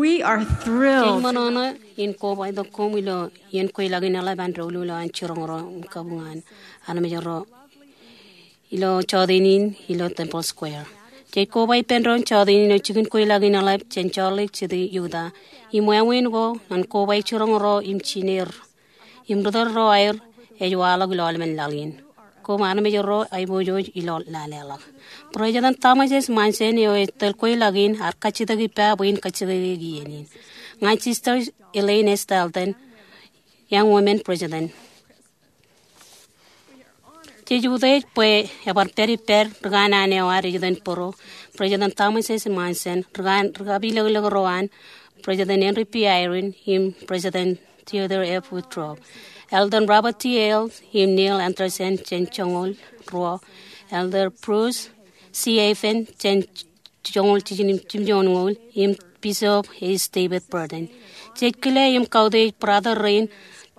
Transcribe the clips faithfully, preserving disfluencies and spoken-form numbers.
We are thrilled. Jej ṃōṇōṇō in kobatok koṃ ilo iien kweilọk in eḷap an doulul eo an jiroñ ro im kabuñ an armej ro ilo jọteen in ilo Temple Square. Jej koba ippān doon jọteen in eo jikin kweilọk in eḷap jān Salt Lake City, Utah. Im wāween ko ñan koba jiroñ ro im jined im ri tōl ro aer ej waḷọk ilo aolepen laḷ in. Koṃ armej ro aiboojoj ilo laleḷọk. President Thomas S. Monson eo ej tōl kweilọk in ear kajjitōk ippa bwe in kajjitōk eok iien in. Ña Sister Elaine S. Dalton, Young Women President. Jej utiej bwe ebar pād ippād ri kanaan eo ad ej itōn bōro, President Thomas S. Monson, ri kan, ri kapilōklōk ro an, President Henry B. Eyring, im President Theodore F. Woodruff, Elder Robert T. Hales, im Neil Andersen jān joñoul ruo, Elder Bruce C. Hafen jān joñoul jiljino im jimjuon ñoul, im Bishop H. David Burton. Jej kile im kautiej brother rein,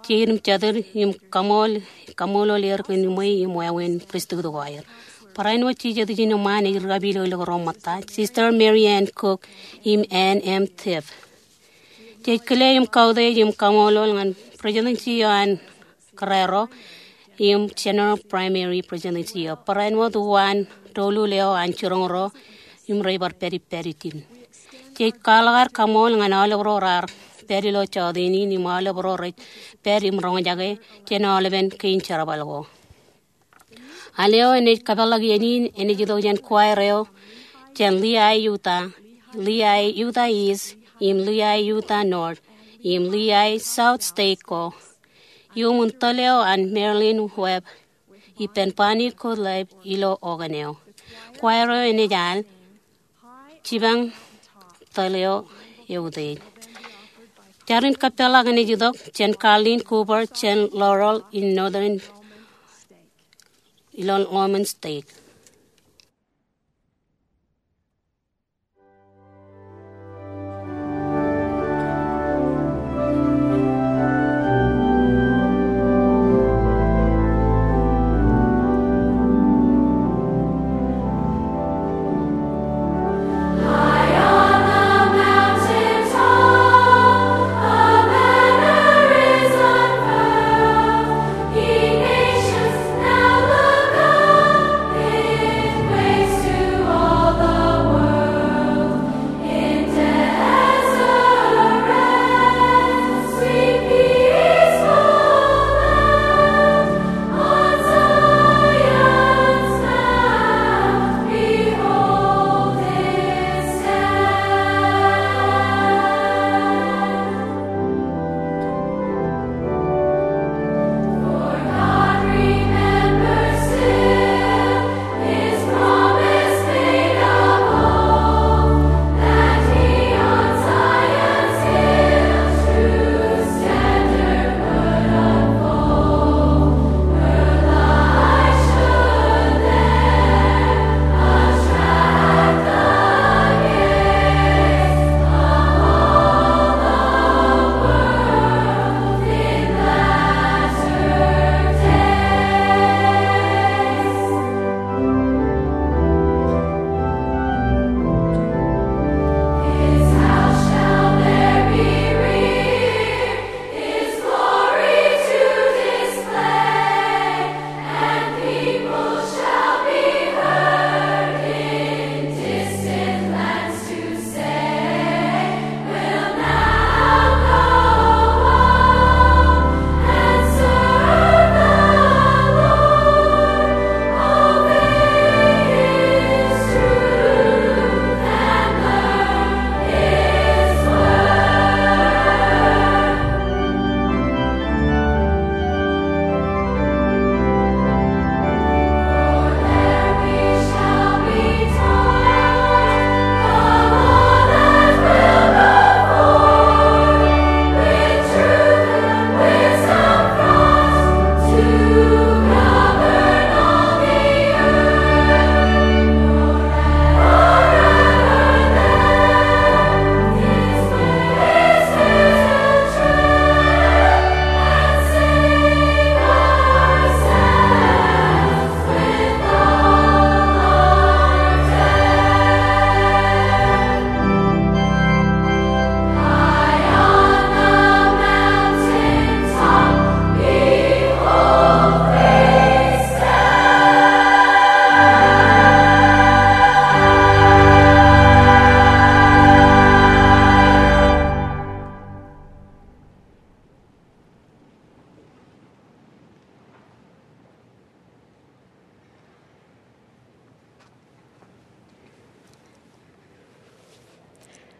jeid im jatid, im kaṃool, kaṃṃoolol er kōn ṃweiuk im wāween pristut ko aer. Barāinwōt jej jet ijin eṃṃaan ej ri kapilōklōk ro ṃōtta, Sister Mary Ann Cook im Ann M. Tiff. Jej kile im kautiej im kaṃṃoolol ñan Presidency eo an kōrā ro im General Primary Presidency eo. Barāinwōt uwaan doulul eo an jiroñ ro im rej bar pād ippād ijin. Jej kwaḷọk aer kaṃool ñan aolep ro raar pād ilo jọteen in im aolep ro rej pād im roñjake jān aolepen kein jerbal ko. Al eo enaaj kapeḷḷọk iien in enaaj itok jān choir eo jān Lehi, Utah, Lehi, Utah East, im Lehi, Utah North, im Lehi South State ko. Iuṃwin tōl eo an Marilyn Webb ippān Bonnie Gottlieb ilo organ eo. Choir eo enaaj al Jipañ Tōl Eo Eutiej. Jar in kapeḷḷọk enaaj itok jān Carlin Cooper jān Laurel in Northern ilo Lomond State.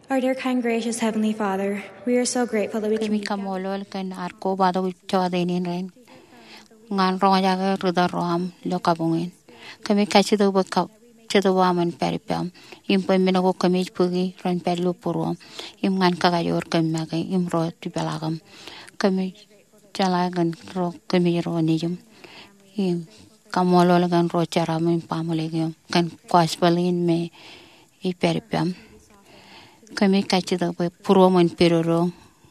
Our dear, kind, gracious Heavenly Father, we are so grateful that we can Kōmij kaṃṃoolol kōn ad kobatok jota in rainin ñan roñjake ri tōl ro aṃ ilo kabuñ in. Kōmij kajjitōk bwe kab Jetōb aṃ en pād ippaṃ, im bwe men ko kōmij bōki ren pād ilo būruōṃ, im ñan kakajoor kōm make, im ro jipeḷaakōṃ. Kōmij jeḷā kōn ro kōmij ro nejiṃ, im kaṃṃoolol kōn ro jeraṃ im baaṃle eo, kōn gospel in me ej pād ippaṃ. Kōmij kajjitōk bwe būruōṃ en pedodo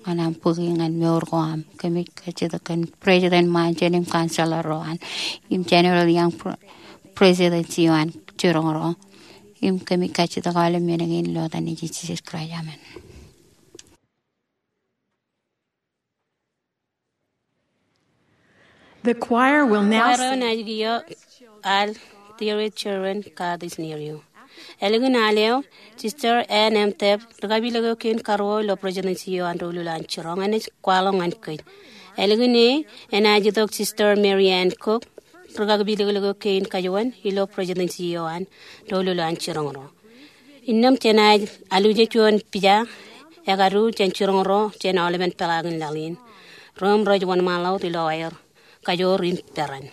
ñan aṃ bōki ñan mour ko aṃ. Kōmij kajjitōk kōn President Monson im counselor ro an, im General Young, pre-, presidency eo an jiroñ ro. Im kōmij kajjitōk aolep men kein ilo etan Jisōs Kraist, amen. The choir will now Kwaer eo sing. Enaaj kiiō al Dear Children, God is Near You. Ālikin al eo, Sister Ann M. Tebb, ri kapilōk eo kein karuo ilo Presidency eo an doulul an jiroñ, enaaj kwaḷọk ñan kōj. Ālikin e, enaaj itok Sister Mary Ann Cook, ri kapilōk eo kein kajuon ilo Presidency eo an doulul an jiroñ ro. Innām jenaaj aluje juon pija ekadu jān jiroñ ro jān aolepen peḷaakin laḷ in. Ro im rej wōnṃaanḷọk wōt ilo aer kajoor im peran.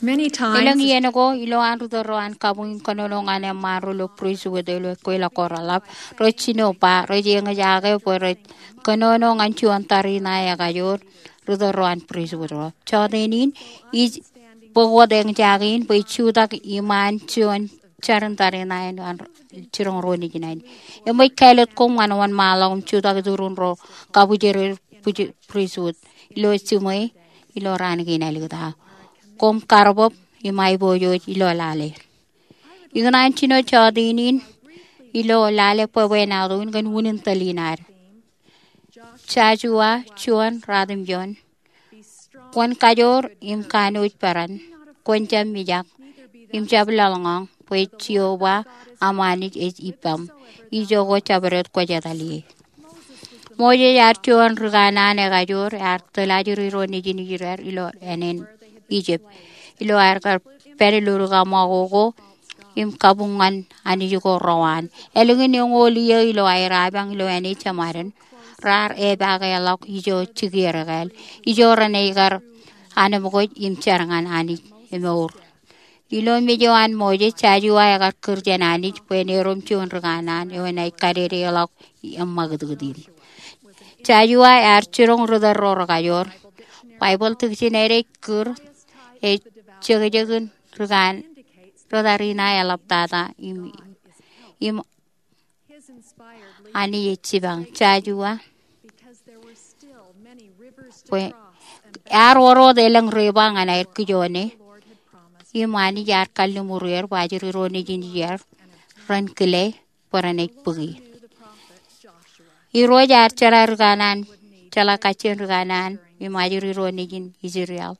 Elōñ iien ko, ilowaan ri tōl ro an kabuñ in kōnono ñan eṃṃaan ro ilo pristut ilo kweilọk ko reḷap, rej jino ba rej eñjake bwe rej kōnono ñan juon tariṇae ekajoor ri tōl ro an pristut ro. Jọteen in, ij bōk wōt eñjake in bwe ij jutak iṃaan juon jar in tariṇae eo an jiroñ ro nejin ṇe. Eṃōj kāālōt koṃ ñan wōnṃaanḷọk im jutak iturin ro kabwijeraer pristut ilo jiṃwe ilo raan kein āliktata. Koṃ karbōb im aiboojoj ilo lale. Ikōṇaan jino jọteen in ilo lale bwebwenato in kōn unin tōl in ad. Joshua juon, ratimjuon. Kwōn kajoor im kanooj peran. Kwōn jab mijak im jab laḷñọñ, bwe Jeova aṃanij ej ippaṃ, ijoko jabdewōt kwōj etal ie. Moses ear juon ri kanaan ekajoor ear tōl ajri ro nejin Israel ilo ānen Ijipt, ilo aer kar pād ilo ri kaṃakoko im kabuñ ñan anij ko rewaan. Ālikin eñoul iiō ilo aer apañ ilo āne jeṃaden, raar epaake ḷọk ijo jikier ekāāl, ijo renaaj kar anemkwōj im jar ñan Anij emour. Ilo mej eo an Moses, Joshua ekar kūr jān Anij bwe en erom juon ri kanaan eo enaaj kadedeḷọk eṃṃakūtkūt in. Joshua ear jiroñ ri tōl ro rekajoor. Baibōḷ tikjin eo ej kūr, ej jekjekin ri kanaan, ri tariṇae eḷaptata im, im Anij ej jipañ. Joshua bwe ear wōr wōt elōñ river ñan aer kijone, im Anij ear kalliṃur er bwe ajri ro nejin Israel ren kile bwe renaaj bōki. Irooj ear jeḷā ri kanaan, jeḷā kajjien ri kanaan im ajri ro nejin Israel.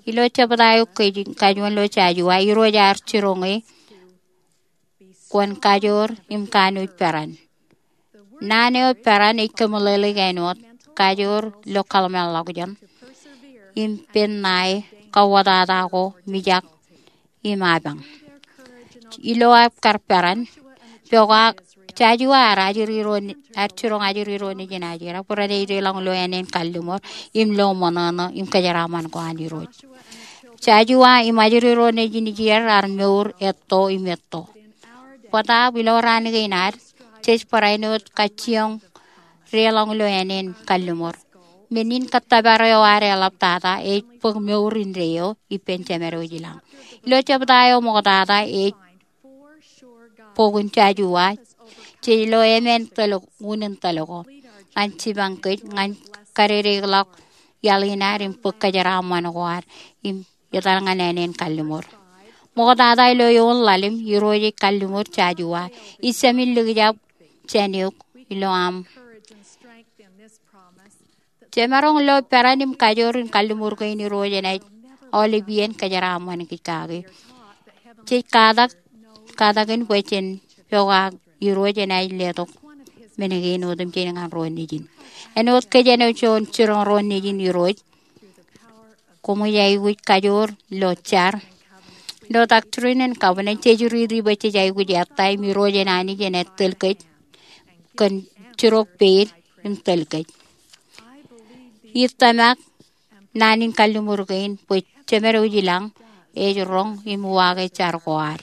Ilo jebta eo kajin, kajuon ilo Joshua, Irooj ear jiroñe, kwōn kajoor im kanooj peran. Naan eo peran ej kōmeḷeḷeik āinwōt kajoor ilo kōḷmānḷọkjeṇ im pen ṇae, kawōtata ko, mijak im apañ. Ilo aer kar peran, pokake Joshua ear ajri ro, ear jiroñ ajri ro nejin Israel bwe renaaj deḷọñ ilo ānen kalliṃur im lo ṃōṇōṇō im kōjeraaṃṃan ko an Irooj. Joshua im ajri ro nejin Israel ear mour etto im etto. Bōtaab ilo raan kein ad, jej barāinwōt kajjioñ deḷọñ ilo ānen kalliṃur. Men in kōttōpar eo ad eḷaptata ej bōk mour indeeo ippān Jemed eo ej ilañ. Ilo jebta eo ṃoktata ej bok in Joshua, jej lo emān tōl, unin tōl ko, ñan jipañ kōj ñan kadedeḷọk iaḷ in ad im bōk kōjeraaṃṃan ko ad im etal ñan ānen kalliṃur. Ṃoktata ilo eoon ḷalem, Irooj ej kalliṃur Joshua, Ij jāmin likjab jān eok ilo aṃ. Jemaroñ lo peran im kajoor in kalliṃur kein Irooj enaaj aolep iien kōjeraaṃṃan kōj kake. Jej katak, katakin bwe jen pokake Irooj enaaj letok men kein otemjej ñan ro nejin. Āinwōt kōj āinwōt juon jiroñ ro nejin Irooj, koṃij aikuj kajoor ilo jar. Ilo Doctrine and Covenants, jej riiti bwe jej aikuj ettā im Irooj en Anij enaaj tōl kōj kōn jidok peid im tōl kōj. Ij tōmak naan in kalliṃur kein bwe Jemed eo ej ilañ ej roñ im uwaake jar ko ad.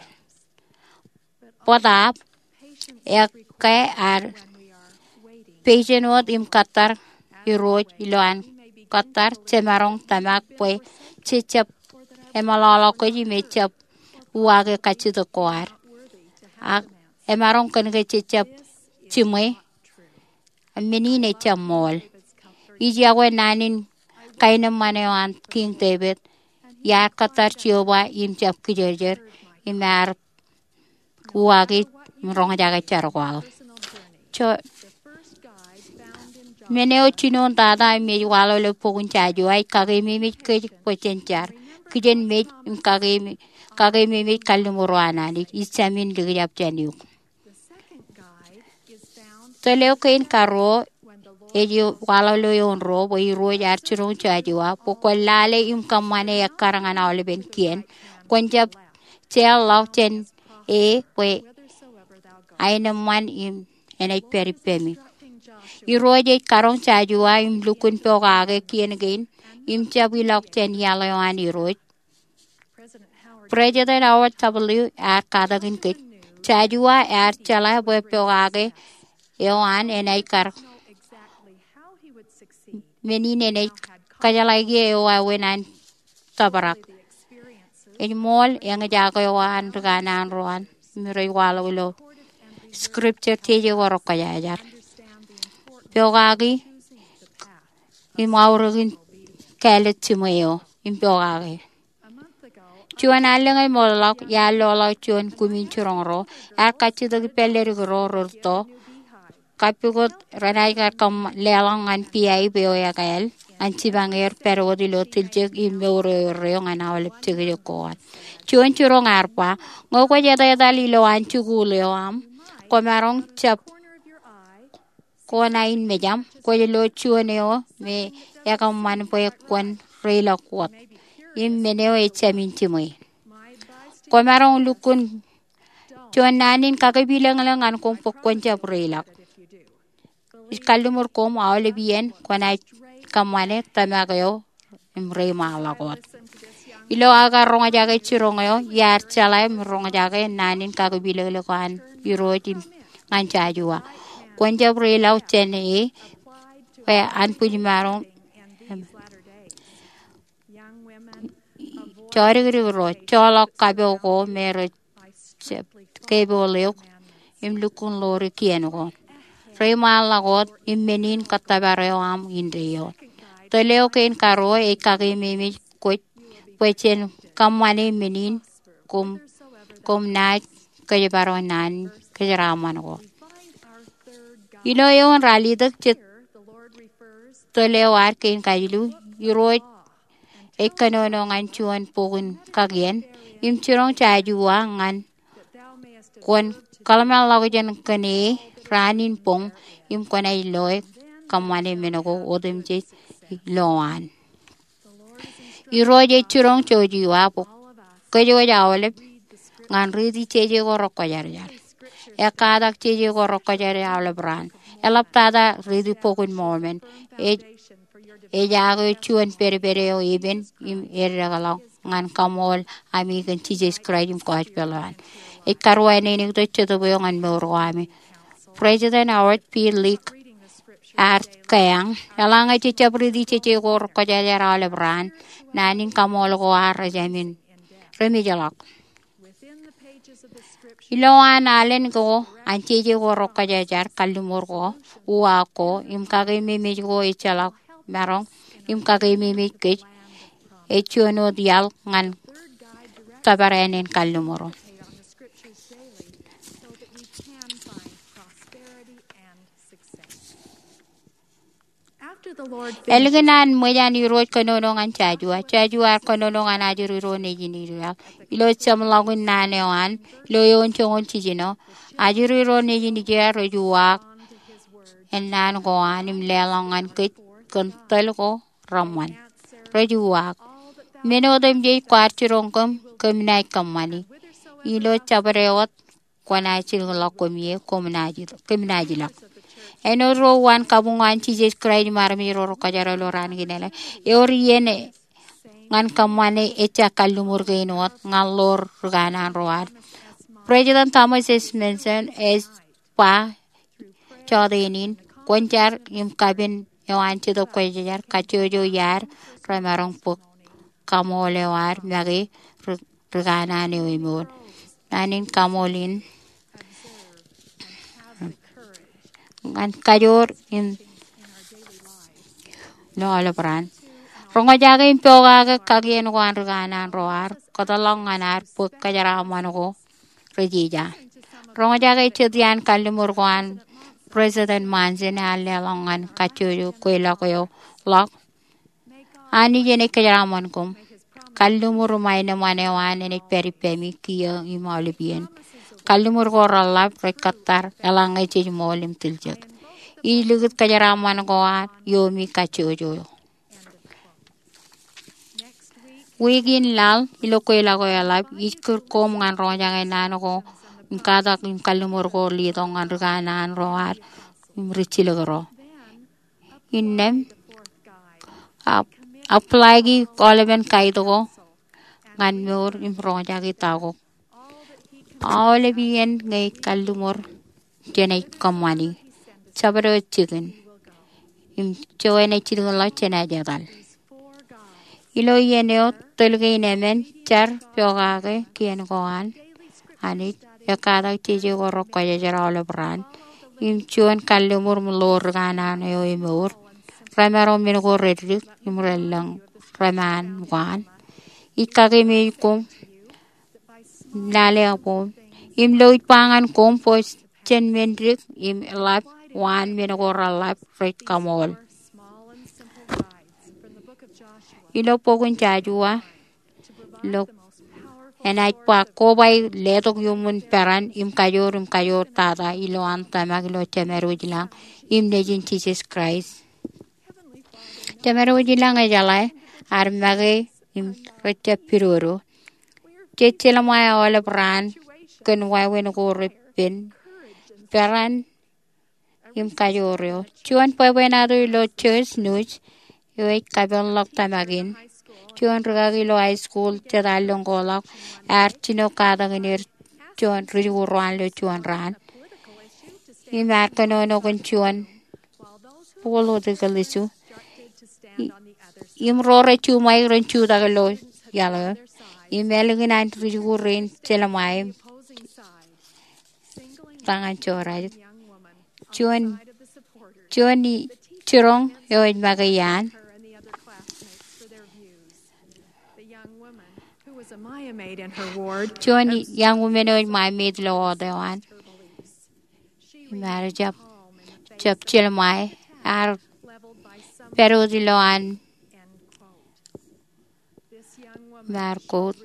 Bōtaab, ekkā ad peijen wōt im kōttar Irooj ilowaan kōttar, jemaroñ tōmak bwe jej jab emeḷọkḷọk kōj im ejjab uwaake kajjitōk ko ad. Ak emaroñ kōn ke jej jab jiṃwe, men in ejjab ṃool. Ij iọkwe naan in kaenōṃṃan eo an Kiiñ Devid, iar kōttar Jeova im jab kijerjer, im ear uwaake im roñjake jar ko aō. Eo, men eo jinoin tata im ej waḷọk ilo bok in Joshua ej kakeememej kōj bwe jen jar. Kijenmej im kakeeme, kakeememej kalliṃur eo an Anij, Ij jāmin likjab jān eok. Tōl eo kein karuo ej waḷọk ilo eoon ruo bwe Irooj ear jiroñ Joshua bwe kwōn lale im kōṃṃane ekkar ñan aolepen kien. Kwōn jab jeḷḷọk jān e bwe aenōṃṃan im enaaj pād ippemi. Irooj ej karoñ Joshua im lukkuun pokake kien kein im jab ilọk jān iaḷ eo an Irooj. President Howard W. ear katakin kōj. Joshua ear jeḷā bwe pokake eo an enaaj kar men in enaaj kajeḷā ke eo wāween an tōprak. Ej ṃool eñjake eo an ri kanaan ro an im rej waḷọk ilo scripture jeje ko rekwōjarjar. Pokake im aorōk in kāālōt jiṃwe eo im pokake. Juon allōñ e ṃoolḷọk, iar loḷọk juon kumin jiroñ ro, ear kajjitōk ippān ledik ro rerūtto, kappukot renaaj kar kōṃ leḷọk ñan beehive eo ekāāl ñan jipañ er pād wōt ilo tiljek im mour eo erreo ñan aolep jekjek ko an. Juon jiroñ ear ba, ñe kwōj etetal ilowaan jikuuḷ eo aṃ, kwōmaroñ jab kōṇaan mejaṃ, kwōj lo juon eo me ekōṃṃan bwe kwōn reilọk wōt. Im men eo ej jāmin jiṃwe. Kwōmaroñ lukkuun juon naan in kakipilōñlōñ ñan koṃ bwe kwōn jab reilọk. Ij kalliṃur koṃ aolep iien kwōnaaj kōṃṃane tōmak eo im reiṃaanḷọk wōt. Ilo aō kar roñjake jiroñ eo, iar jeḷā im roñjake naan in kakipilōñlōñ an Irooj im ñan Joshua. Kwōn jab reilọk jān e, bwe anbwijmaroñ jodikdik ro, joḷọk kapo ko me rej jab kepool eok im lukkuun ḷoori kien ko. Reiṃaanḷọk wōt im men in kōttōpar eo aṃ indeeo. Tōl eo kein karuo ej kakeememej kwōj bwe jen kōṃṃane men in koṃ, koṃ naaj kōjparok naan kōjeraaṃṃan ko. Ilo eoon ralitōk je tōl eo ad kein kajilu, Irooj ej kōnono ñan juon bok in kakien im jiroñ Joshua ñan kwōn kōḷmānḷọkjeṇ kōn e raan in boñ im kwōnaaj loe kōṃṃane men ko otemjej ilowaan. Irooj ej jiroñ Joshua bwe kōj wōj aolep ñan riiti jeje ko rekwōjarjar. Ekkatak jeje ko rekwōjarjar aolep raan. Eḷaptata riiti Bok in Mormon. Ej, ej ak eo juon pedped eo epen im eddekḷọk ñan kaṃool ami kōn Jisōs Kraist im gospel eo an. Ej karuwainene tok Jetōb eo ñan mour ko ami. President Howard B. Lick ear kōyañ, eḷaññe jej jab riiti jeje ko rekwōjarjar aolep raan, naan in kaṃool ko ad rej jāmin remejḷọk. Ilowaan alen ko an jeje ko rekwōjarjar, kalliṃur ko, uwaak ko im kakeememej ko ejjeḷọk maroñ im kakeememej kōj, ej juon wōt iaḷ ñan tōpar ānen kalliṃur. Ālikin an ṃōj an Irooj kōnono ñan Joshua, Joshua ear kōnono ñan ajri ro nejin Israel. Ilo jeṃḷọkin naan eo an, ilo eoon joñoul jiljino, ajri ro nejin Israel rej uwaak ennaan ko an im leḷọk ñan kōj kōn tōl ko reṃṃan. Rej uwaak, men otemjej kwaar jiroñ kōm, kōm naaj kōṃṃani. Ilo jabdewōt kwōnaaj jilkinḷọk koṃ ie, kōm naaj, kōm naaj ilọk. Āinwōt ro uwaan kabuñ an Jisōs Kraist im armej ro rekwōjarjar ilo raan kein ālikin, ewōr iien ñan kōṃṃane ejja kalliṃur kein wōt ñan ḷoor ri kanaan ro ad. President Thomas S. Monson ej ba jọteen in, kwōn jar im kapen eo an Jetōb Kwōjarjar, kajjojo iaad remaroñ bōk kaṃool eo ad make ri, ri kanaan eo emool. Naan in kaṃool in ñan kajoor im ilo aolep raan. Roñjake im pokake kakien ko an ri kanaan ro ad, kōtḷọk ñan ad bōk kōjeraaṃṃan ko rej ija. Roñjake jet iaan kalliṃur ko an President Monson ear leḷọk ñan kajjojo kweilọk eo ḷọk. Anij enaaj kōjeraaṃṃan koṃ. Kalliṃur im aenōṃṃan eo an enaaj pād ippemi kiiō im aolep iien. Kalliṃur ko reḷḷap rej kōttar eḷaññe jej ṃool im tiljek. Ij likūt kōjeraaṃṃan ko ad iomi kajjojo. Wiik in laḷ ilo kweilọk eo eḷap, ij kūr koṃ ñan roñjake naan ko im katak im kalliṃur ko letok ñan ri kanaan ro ad im ri jilkinro. Innām, ap, apply e aolepen guide ko ñan mour im roñjake ta ko. Aolep iien ñe ij kalliṃur, jenaaj kōṃṃani. Jabdewōt jikin im joñan ej jilkinḷọk jenaaj etal. Ilo iien eo tōl kein emān, jar pokake kien ko an Anij, ekkatak jeje ko rekwōjarjar aolep raan, im juon kalliṃur im ḷoor ri kanaan eo emour, remaroñ men ko reddik im relōñ reṃaan ṃōk an. Ij kakememej koṃ lale abwōm im lo ij ba ñan koṃ bwe jen men dik im ḷap waan men ko reḷap rej kaṃool. Ilo bok in Jojua, ilo enaaj ba koba letok iuṃwin peran im kajoor im kajoor tata ilowaan tōmak ilo Jemedwōj ilañ im Nejin Jisōs Kraist. Jemedwōj ilañ ejeḷā, ear make im rejjab pidodo. Jej jelṃae aolep raan kōn wāween ko repen, peran im kajoor eo. Juon bwebwenato ilo Church News eo ej kapeḷḷọk tōmak in. Juon rikaki ilo high school jet allōñ ko ḷọk ear jino katakin er juon ri jikuuḷ ro an ilo juon raan im ear kōnono kōn juon political issue. Im ro rej juṃaik ren jutak ilo iaḷ eo. Im ālikin an ri jikuuḷ rein jelṃae im ta ñan jorrāān, juon, juon jiroñ eo ej make iaan. Juon young woman eo ej ṃae maid ilo ward eo an. Im ear jab, jab jelṃae, ear pād wōt ilowaan Markot.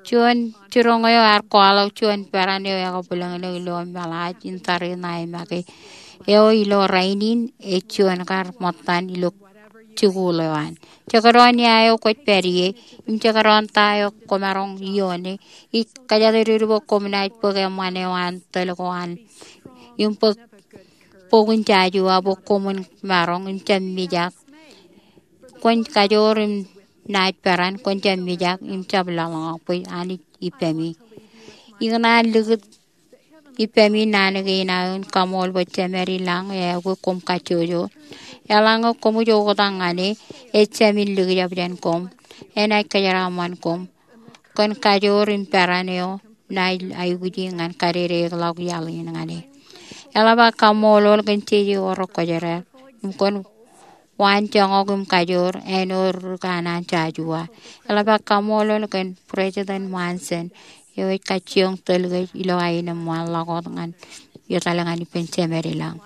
Juon jiroñ eo ear kwaḷọk juon peran eo ekabwilōñlōñ ilo meḷaaj in tariṇae make eo ilo rainin ej juon kar ṃōttan ilo jikuuḷ eo an. Jekdọọn ia eo kwōj pād ie, im jekdọọn ta eo kwōmaroñ ioone, ij kōjatdikdik bwe koṃ naaj bōk eṃṃan eo an tōl ko an im bōk bok in Jojua bwe koṃwin maroñ im jab mijak. Kwōn kajoor im naaj peran, kwōn jab mijak im jab lōḷñọñ bwe Anij ippemi. Ikōṇaan likūt ippemi naan kein aō in kaṃool bwe Jemād ilañ eaikuj koṃ kajjojo. Eḷaññe koṃij oktak ñan e, ejāmin likjab jān koṃ. Enaaj kōjeraaṃṃan koṃ kōn kajoor im peran eo naaj aikuji ñan kadedeḷọk iaḷ in ñan e. Eḷap aō kaṃṃoolol kōn jeje ko rekwōjarjar im kōn waanjoñak im kajoor āinwōt ri kanaan Jojua. Eḷap aō kaṃṃoolol kōn President Monson eo ej kajjioñ tōl kōj ilo aenōṃṃan ḷọk wōt ñan etal ñan ippān Jemād ilañ.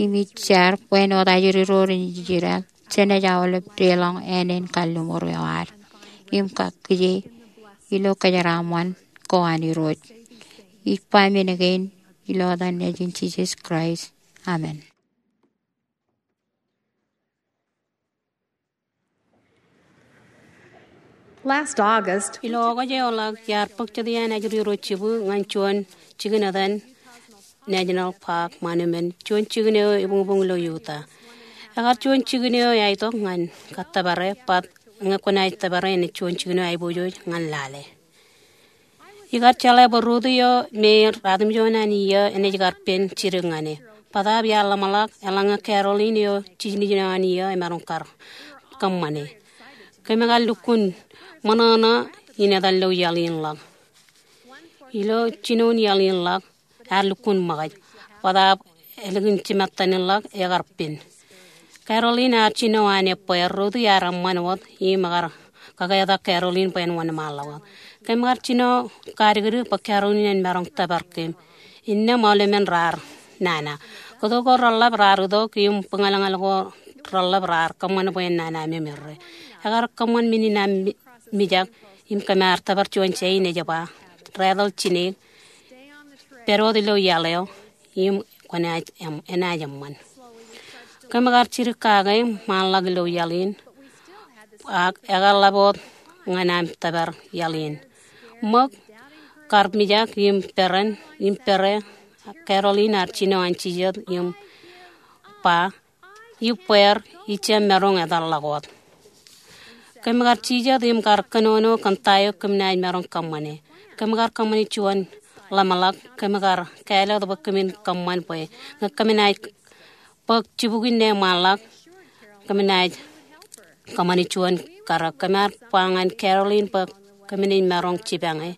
Im ij jar bwe āinwōt ajri ro ren Israel, jenaaj aolep deḷọñ āne in kalliṃur eo ad im kakkije ilo kōjeraaṃṃan ko an Irooj. Ij ba men kein ilo etan Nejin Jisōs Kraist. Amen. Last August, ilo August eo ḷọk, iar bōk jet iaan ajri ro jibū ñan juon jikin etan National Park Monument, juon jikin eo ebuñbuñ ilo Utah. Ekar juon jikin eo eaitok ñan kōttōpare, bōtab ñe kwōnaaj tōpare enaaj juon jikin eo aiboojoj ñan lale. Ikar jeḷā bwe rot eo me ratimjuon an iiō enaaj kar pen jidik ñan e. Bōtab iar ḷōmṇak eḷaññe Carolyn eo jiljilimjuon an iiō emaroñ kar kōṃṃane. Kōm kar lukkuun ṃōṇōṇō in etan ilo iaḷ in ḷọk. Ilo jinoin iaḷ in ḷọk, ear lukkuun ṃōkaj. Bōtab ālikin jimettan in ḷọk ekar pen. Carolyn ear jino an ebbeer, rot eo ear eṃṃan wōt im ekar kaketak Carolyn bwe en wōnṃaanḷọk wōt. Kōm kar jino kadikdik bwe Carolyn en maroñ tōpar kōm. Innām aolepen raar nana. Kōto ko reḷap raar itok im buñalñal ko reḷap raar kōṃṃan bwe en nana memeḷeḷe. Ekar kōṃṃan men in aṃ mi-, mijak im kōm ar tōpar juon jain ej ba, raetal jineik, pād wōt ilo iaḷ eo im kwōnaaj em-, enaaj eṃṃan. Kōm kar jidik kake ṃaanḷọk ilo iaḷ in, ak ekar ḷap wōt ñan aṃ tōpar iaḷ in. Ṃōk, kar mijak im peran, im pere, Carolyn ear jino an jijet im ba, ibbeer, ij jab maroñ etal ḷọk wōt. Kōm kar jijet im kar kōnono kōn ta eo kōm naaj maroñ kōṃṃane. Kōm kar kōṃṃane juon ḷōmṇak, kōm kar kāālōt bwe kōmin kōṃṃan bwe ñe kōm naaj bōk jibukwi ṇe ṃaanḷọk, kōm naaj kōṃṃane juon karōk. Kōm ar ba ñan Carolyn bwe kōmin maroñ jipañe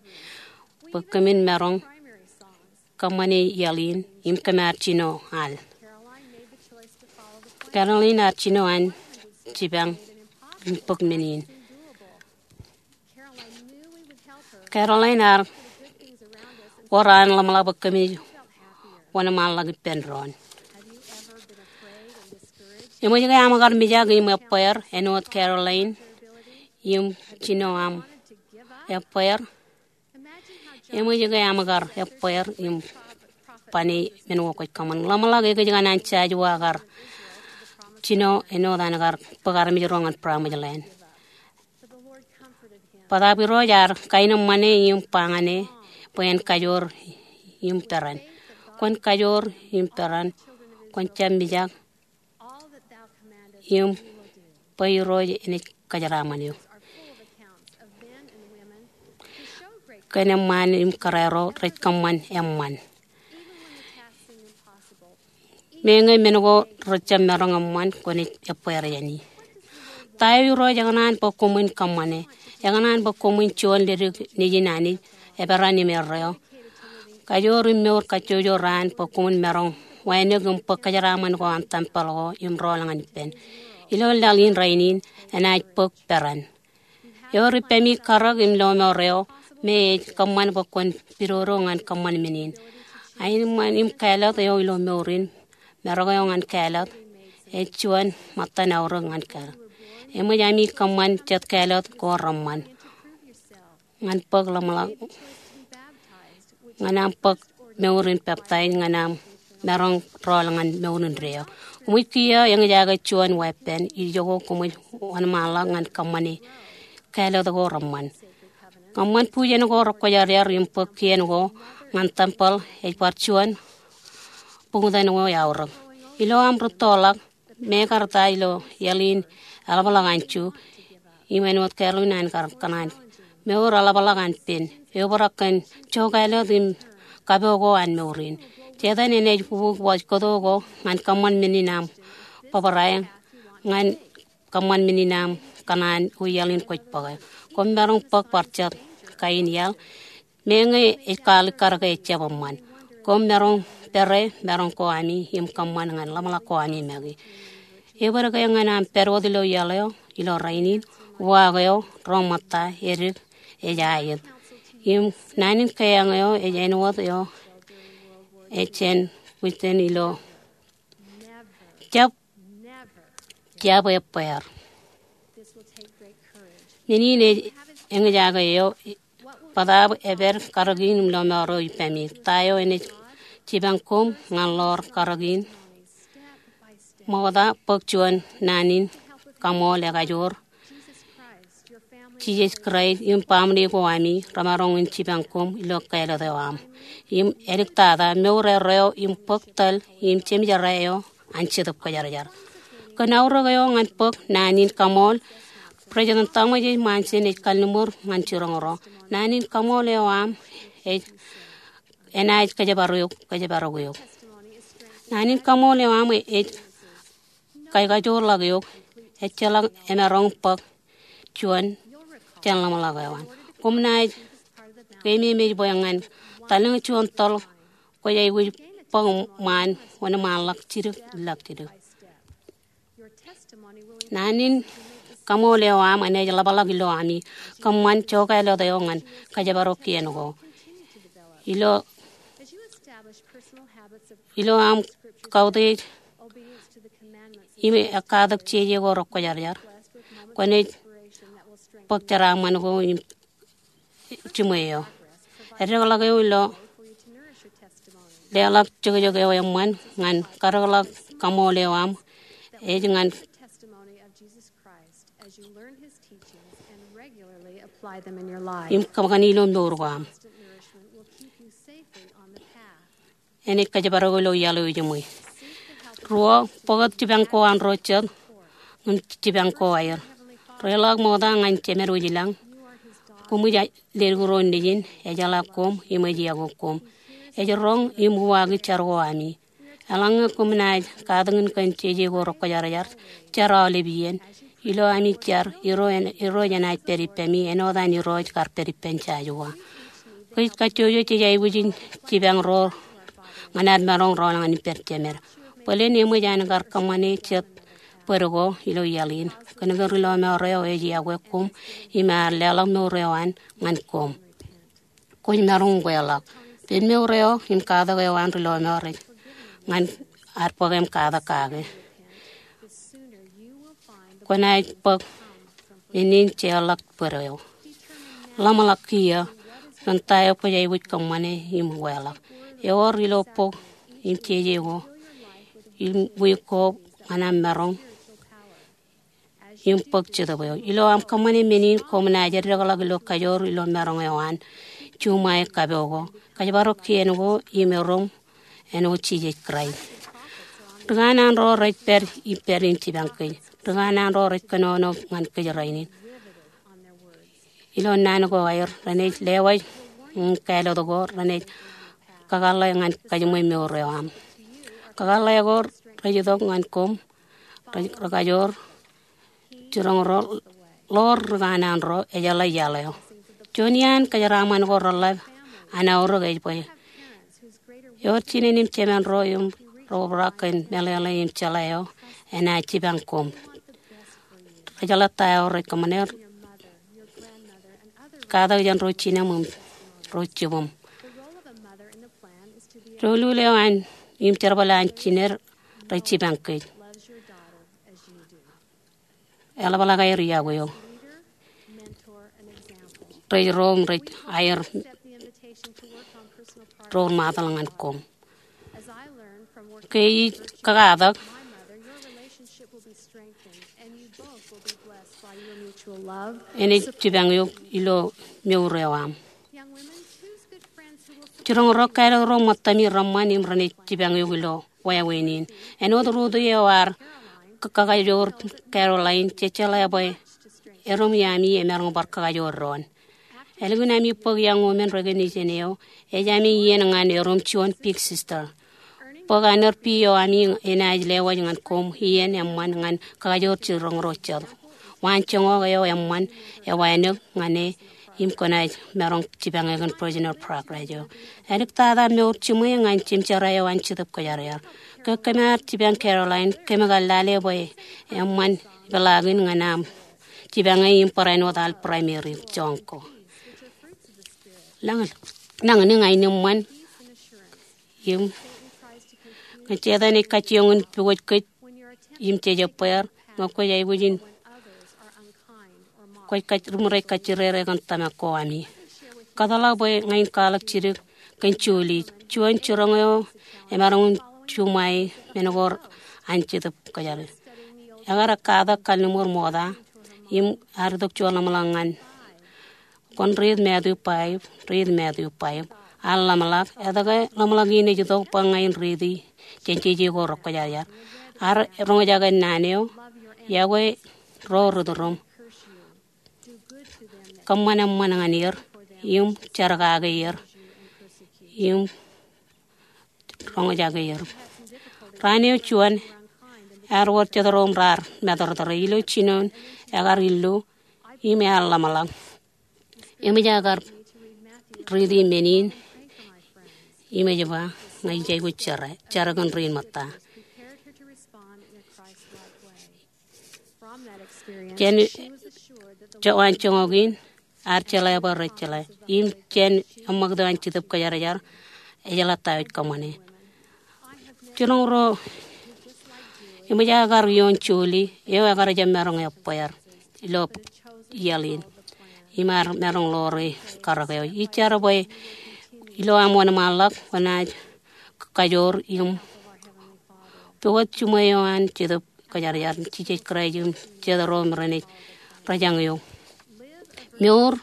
bwe kōmin maroñ kōṃṃane iaḷ in im kōm ar jino al. Carolyn ar jino an jipañ im bōk men in. Carolyn ar wōr an ḷōmṇak bwe kōmij wōnṃaanḷọk ippān doon. Eṃōj ke aṃ kar mijak im ebbeer āinwōt Carolyn im jino aṃ ebbeer? Eṃōj ke aṃ kar ebbeer im bane men ko kwōj kōṃṃan? Ḷōmṇak ekōjkan an Joshua kar jino āinwōt an kar bōk armej ro ñan promised land. Bōtaab Irooj ear kaenōṃṃane im ba ñan e bwe en kajoor im peran. Kwōn kajoor im peran, kwōn jab mijak, im bwe Irooj enaaj kōjeraaṃṃan eok. Kōn eṃṃaan im kōrā ro rej kōṃṃan eṃṃan. Meñe men ko rejjab maroñ eṃṃan, kwōnaaj ebbeer jāne. Ta eo Irooj ekōṇaan bwe koṃwin kōṃṃane? Ekōṇaan bwe koṃwin juon ledik Nejin Anij, eperan im erreo. Kajoor im mour kajjojo raan bwe koṃwin maroñ wānōk im bōk kōjeraaṃṃan ko an tempel ko im rọọl ñan ippān. Ilo laḷ in rainin, enaaj bōk peran. Ewōr ippemi karōk im lọmọọr eo me ej kōṃṃan bwe kwōn pidodo ñan kōṃṃan men in. Aenōṃṃan im kāālōt eo ilo mour in, marok eo ñan kāālōt, ej juon ṃōttan aorōk ñan kāālōt. Eṃōj ami kōṃṃan jet kāālōt ko reṃṃan ñan bōk ḷōmṇak, ñan aṃ bōk mour in peptaij, ñan aṃ maroñ rọọl ñan mour indeeo. Koṃij kiiō eñjake juon weeppān ijoko koṃij wōnṃaanḷọk ñan kōṃṃane kāālōt ko reṃṃan. Kōṃṃan bujen ko rekwōjarjar im bōk kien ko ñan tempel ej bar juon buñtōn ko eaorōk. Ilo aṃ rūttoḷọk, mekarta ilo iaḷ in eḷapḷọk an Ju, im āinwōt Carolyn an kar kōṇaan, mour eḷapḷọk an pen, eobrak kōn jokāālōt im kapo ko an mour in. Setan enaaj bubuk wōj kōto ko ñan kōṃṃan men in aṃ bōbrae, ñan kōṃṃan men in aṃ kōṇaan eo iaḷ in kwōj bōke. Koṃ maroñ bōk bar jet kain iaḷ, meñe ej kaalikkar ke ejjab eṃṃan. Koṃ maroñ pere maroñ ko ami im kōṃṃan ñan ḷōmṇak ko ami make. Ebōd ke ñan aṃ pād wōt ilo iaḷ eo ilo rainin, uwaak eo ro ṃōtta edik ej aet. Im naan in keeañ eo ej āinwōt eo ej jān Winston ilo jab, jab ebbeer. Men in ej eñjake eo, bōtaab epād karōk in im lọmọọr eo ippemi. Ta eo enaaj jipañ koṃ ñan ḷoor karōk in? Ṃokta bōk juon naan in kaṃool ekajoor. Jisōs Kraist im baaṃle ko ami remaroñ in jipañ koṃ ilo kāālōt eo aṃ. Im āliktata, mour erreo im bōk tōl im jeṃjerā eo an Jetōb Kwōjarjar. Kōn aorōk eo ñan bōk naan in kaṃool, President Thomas S. Monson ej kalliṃur ñan jiroñ ro. Naan in kaṃool eo aṃ ej, enaaj kōjparok eok, kōjparok eok. Naan in kaṃool eo aṃ ej kajoorḷọk eok, ejjeḷọk emaroñ bōk juon jān ḷōmṇak eo an. Koṃ naaj keememej bwe ñan talōñ juon tōl kwōj aikuj bōk ṃaan wōnṃaanḷọk jidik, ilọk jidik. Naan in kaṃool eo aṃ enaaj ḷapḷọk ilo ami kōṃṃan jokāālōt eo ñan kōjparok kien ko. Ilo, ilo aṃ kautiej im ekkatak jeje ko rekwōjarjar, kwōnaaj bōk jeraaṃṃan ko im jiṃwe eo. Eddekḷọk eō ilo leḷọk jokjok eo eṃṃan ñan kadekḷọk kaṃool eo aṃ ej ñan im kōṃṃani ilo mour ko aṃ. Enaaj kōjparok ilo iaḷ eo ejiṃwe. Ruo, bōktok jipañ ko an ro jet im jipañ ko aer. Reḷọk ṃokta ñan Jemed wōj ilañ. Koṃij leddik ro nejin, ejeḷā koṃ im ej yokwe koṃ. Ej roñ im uwaaki jar ko ami. Eḷaññe koṃ naaj katakin kōn jeje ko rekwōjarjar, jar aolep iien. Ilo ami jar, Irooj enaaj pād ippemi āinwōt an Irooj kar pād ippān jaje ko. Kōj kajjojo jej aikuj in jipañ ro ñan ad maroñ rọọl ñan ippād Jemed. Bōlen eṃōj an kar kōṃṃane jet bōd ko ilo iaḷ in. Kōnke ri lọmọọr eo ej yokwe koṃ im ear leḷọk mour eo an ñan koṃ. Kwōj maroñ kweḷọk. Pād mour eo im katak eo an ri lọmọọr eo ñan ad bōk im katak kake. Kwōnaaj bōk men in jeorḷọk bōd eo. Ḷōmṇak kiiō ren ta eo kwōj aikuj kōṃṃane im kweḷọk. Ewōr ilo bok im jeje ko im wiik ko ñan aṃ maroñ im bōk jetōb eo. Ilo aṃ kōṃṃane men in koṃ naaj eddekḷọk ilo kajoor ilo maroñ eo an juṃae kapo ko, kōjparok kien ko im erom āinwōt Jisōs Kraist. Ri kanaan ro rej pād ippād in jipañ kōj. Ri kanaan ro rej kōnono ñan kōj rainin. Ilo naan ko aer, renaaj lewōj ñan kāālōt ko, renaaj kakōḷḷe ñan kajiṃwe mour eo aṃ. Kakōḷḷe ko rej itok ñan koṃ, rej, rekajoor jiroñ ro ḷoor ri kanaan ro, ejeḷā iaḷ eo. Juon iaan kōjeraaṃṃan ko reḷap an aorōk ej bwe ewōr jined im jemān ro im reobrak kōn meḷeḷe im jeḷā eo enaaj jipañ koṃ. Rejeḷā ta eo rej kōṃṃane, katak jān ro jinem im ro jibūṃ. Doulul eo an im jerbal an jined rej jipañ kōj. Eḷapḷọk aer yokwe eok. Rej ro im rej aer ro ri ṃaatḷọk ñan koṃ. Ke ij kakatak, enaaj jipañ eok ilo mour eo aṃ. Jiroñ ro kāālōt ro ṃōttami reṃṃan im renaaj jipañ eok ilo wāween in. Āinwōt Ruth eo ear kakajoor Caroline, jej jeḷā bwe erom iaami emaroñ bar kakajoor doon. Ālikin ami bōk young women recognition eo, ej ami iien ñan erom juon Big Sister. Bōk honor bee eo ami enaaj lewōj ñan koṃ iien eṃṃan ñan kakajoor jiroñ ro jet. Waanjoñak eo eṃṃan ewānōk ñan e im kwōnaaj maroñ jipañ e kōn Personal Progress eo. Āliktata mour jiṃwe ñan jimjerā eo an Jetōb Kwōjarjar. Ke kōm ar jipañ Caroline, kōm kar lale bwe eṃṃan ipeḷaakin ñan aṃ jipañ e im barāinwōt al primary joñ ko. Nañinmej, nañinmej ñan eṃṃan im ñe Setan ej kajjioñ in pukot kōj im jejebbeer, ñe kwōj aikuj in, kwōj kaj, ri ṃōrej kajjirere kōn tōmak ko ami. Kōtḷọk bwe ña in kwaḷọk jidik kōn Julie, juon jiroñ eo emaroñ in juṃae men ko an Jetōb Kwōjarjar. Ekar katak kalliṃur ṃokta im ear itok juon ḷōmṇak ñan Kwōn riit Matthew five, riit Matthew five. Ear ḷōmṇak, etke ḷōmṇak in ej itok bwe ña in riiti jān jeje ko rekwōjarjar? Ear roñjake naan eo, yokwe ro ri tūrūṃ. Kōṃṃan eṃṃan ñan er, im jar kake er, im roñjake er. Raan eo juon, ear wōr jet ro im raar matōrtōre. Ilo jinoin, ekar illu, im ear ḷōmṇak. Eṃōj aō kar riiti men in, im ej ba, ña ij aikuj jar, jar kōn ri in ṃōtta. Jān, jān waanjoñak in, ear jeḷā bwe rej jeḷā. Im jān eṃṃakūt an Jetōb Kwōjarjar, ejeḷā ta eo ej kōṃṃane. Jiroñ ro, eṃōj aō kar ioon Julie, eo ekar jab maroñ ebbeer ilo iaḷ in. Im ear maroñ ḷoore karōk eo. Ij jar bwe ilo aṃ wōnṃaanḷọk, kwōnaaj kajoor im pukot jiṃwe eo an Jetōb Kwōjarjar, Jisōs Kraist im jet ro im renaaj rōjañ eok. Mour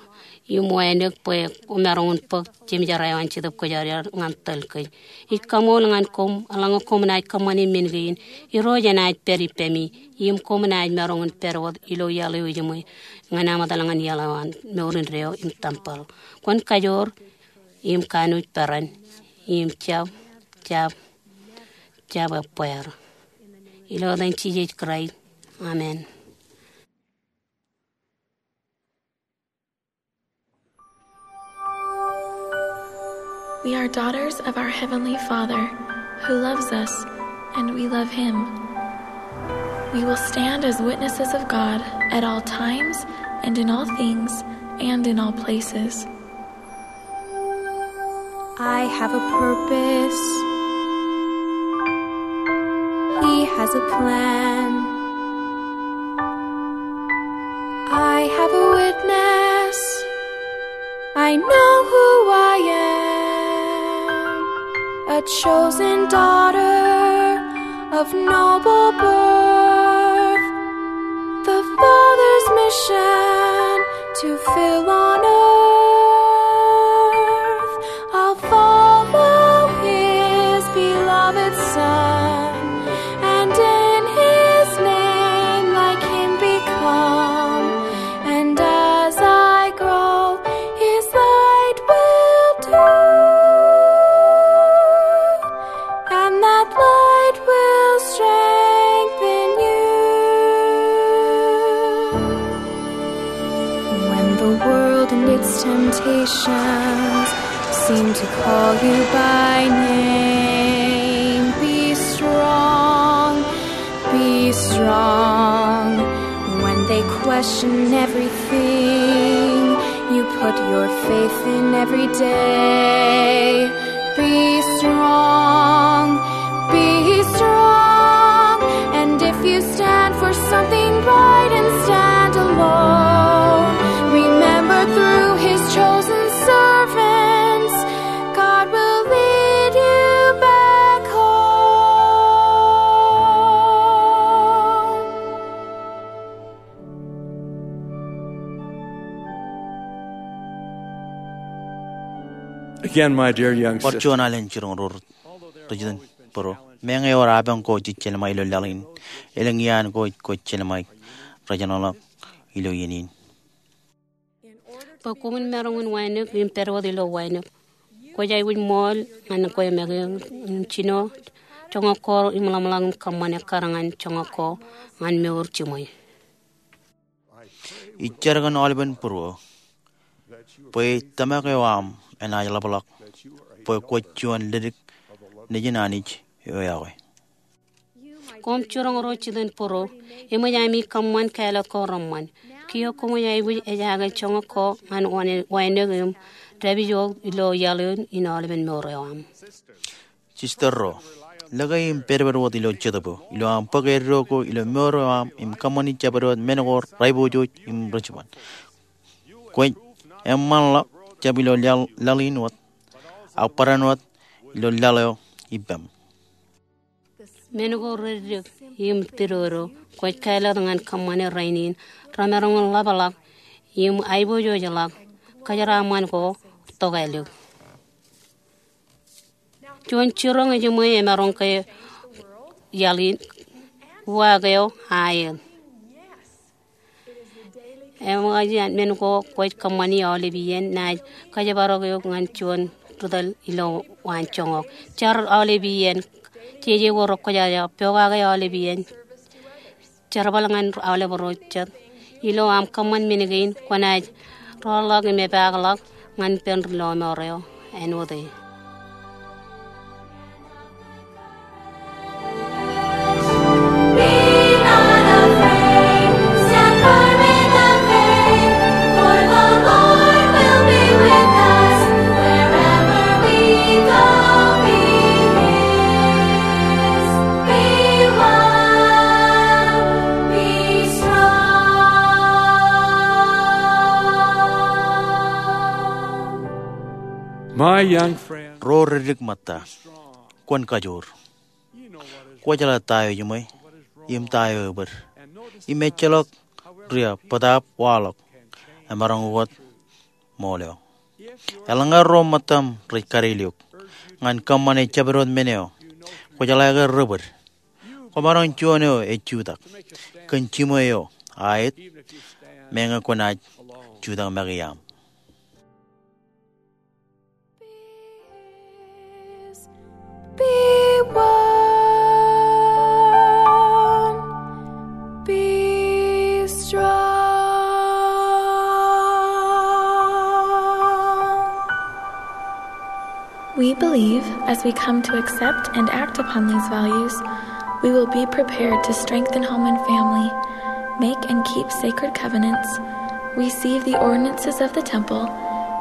Im wānōk bwe kwōmaroñ in bōk jeṃjerā eo an Jetōb Kwōjarjar ñan tōl kōj. Ij kaṃool ñan koṃ eḷaññe koṃ naaj kōṃṃane men kein. Irooj enaaj pād ippemi im koṃ naaj maroñ in pād wōt ilo iaḷ eo ejiṃwe ñan aṃ etal ñan iaḷ eo an mour indeeo im tempeḷ. Kwōn kajoor im kanooj peran im jab, jab, jab ebbeer. Ilo etan Jisōs Kraist. Amen. We are daughters of our Heavenly Father, who loves us, and we love Him. We will stand as witnesses of God at all times and in all things and in all places. I have a purpose. He has a plan. I have a witness. I know who I am. A chosen daughter of noble birth. The Father's mission to fill on earth. I'll follow His beloved Son, and in His name like Him become. And as I grow, His light will do, and that light will strengthen you. When the world and its temptations seem to call you by name, be strong, be strong. When they question everything, you put your faith in every day. Be strong, be strong. And if you stand for something right and stand alone, remember through His chosen servants, God will lead you back home. Again, my dear young Bar sister. Juon alen jiroñ ro rijitōnbōro. Meñe ewōr apañ ko jej jelṃae ilo laḷ in, elōñ iaan ko kwōj jelṃae rej eṇ ḷọk ilo iien in. Bwe koṃwin maroñ in wānōk im pād wōt ilo wānōk, kwōj aikuj ṃool ñan kwe make in jino joñak ko im ḷōmṇak im kōṃṃane kar ñan joñak ko ñan mour jiṃwe. Ij jar kōn aolepen būruō bwe tōmak eo aṃ enaaj ḷapḷọk bwe kwōj juon ledik nejin Anij eo iọkwe. Koṃ jiroñ ro jitōnbōro, eṃōj ami kōṃṃan kāālōt ko reṃṃan. Kiiō koṃij aikuj ejaake joñak ko ñan wānōk im dāpij wōt ilo iaḷ in aolepen mour eo aṃ. Sister ro, lōke im pedped wōt ilo Jetōb eo, ilo aṃ bōk eddo ko ilo mour eo aṃ im kōṃṃani jabdewōt men ko reaiboojoj im ri-jiban. Kwōj eṃṃanḷọk jab ilo laḷ, laḷ in wōt, ak barāinwōt ilo laḷ eo ippām. Men ko reddik im tidodo kwōj kāālōt ñan kōṃṃane rainin remaroñ in ḷapḷọk im aiboojojḷọk kōjeraaṃṃan ko tokālik. Juon jiroñ ejiṃwe emaroñ ke iaḷ in, uwaak eo aet. Eṃōj an men ko kwōj kōṃṃani aolep iien naaj kōjparok eok ñan juon ri-tōl ilo waan joñak. Jar aolep iien, jeje ko rekwōjarjar, pokake aolep iien. Jerbal ñan aolep ro jet. Ilo aṃ kōṃṃan men kein kwōnaaj roḷọk im epaakḷọk ñan ippān ri-lọmọọr eo āinwōt e. Be not afraid, stand firm in the faith, for the Lord will be with us wherever we go. Be his, be one, be strong. My young friend, ro reddik ṃōtta, kwōn kajoor. Kwōjeḷā ta eo ejiṃwe im ta eo ebōd. Im ejjeḷọk ria bōtaab waḷọk. Emaroñ wōt ṃool eo. Eḷaññe ro ṃōttaṃ rej kariil eok ñan kōṃṃane jabdewōt men eo, kwō jeḷā ke rebōd. Kwōmaroñ juon eo ej jutak. Kōn jiṃwe eo aet, meñe kwō naaj jutak make iaam. Be warm, be strong. We believe as we come to accept and act upon these values, we will be prepared to strengthen home and family, make and keep sacred covenants, receive the ordinances of the temple,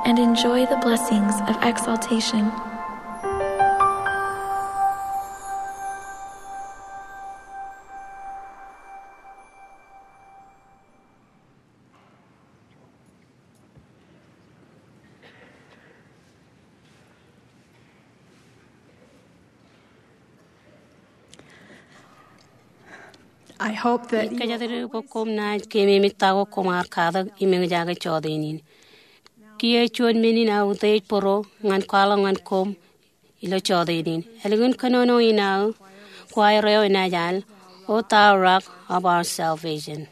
and enjoy the blessings of exaltation. I hope that you will kōjatdikdik bwe koṃ naaj keememej ta ko koṃ ar katak im eñjake jọteen in. Kiiō juon men in aō utiej bōro ñan kwaḷọk ñan koṃ ilo jọteen in. Ālikin kōnono in aō, kwaer eo enaaj al, O thou rock of our salvation.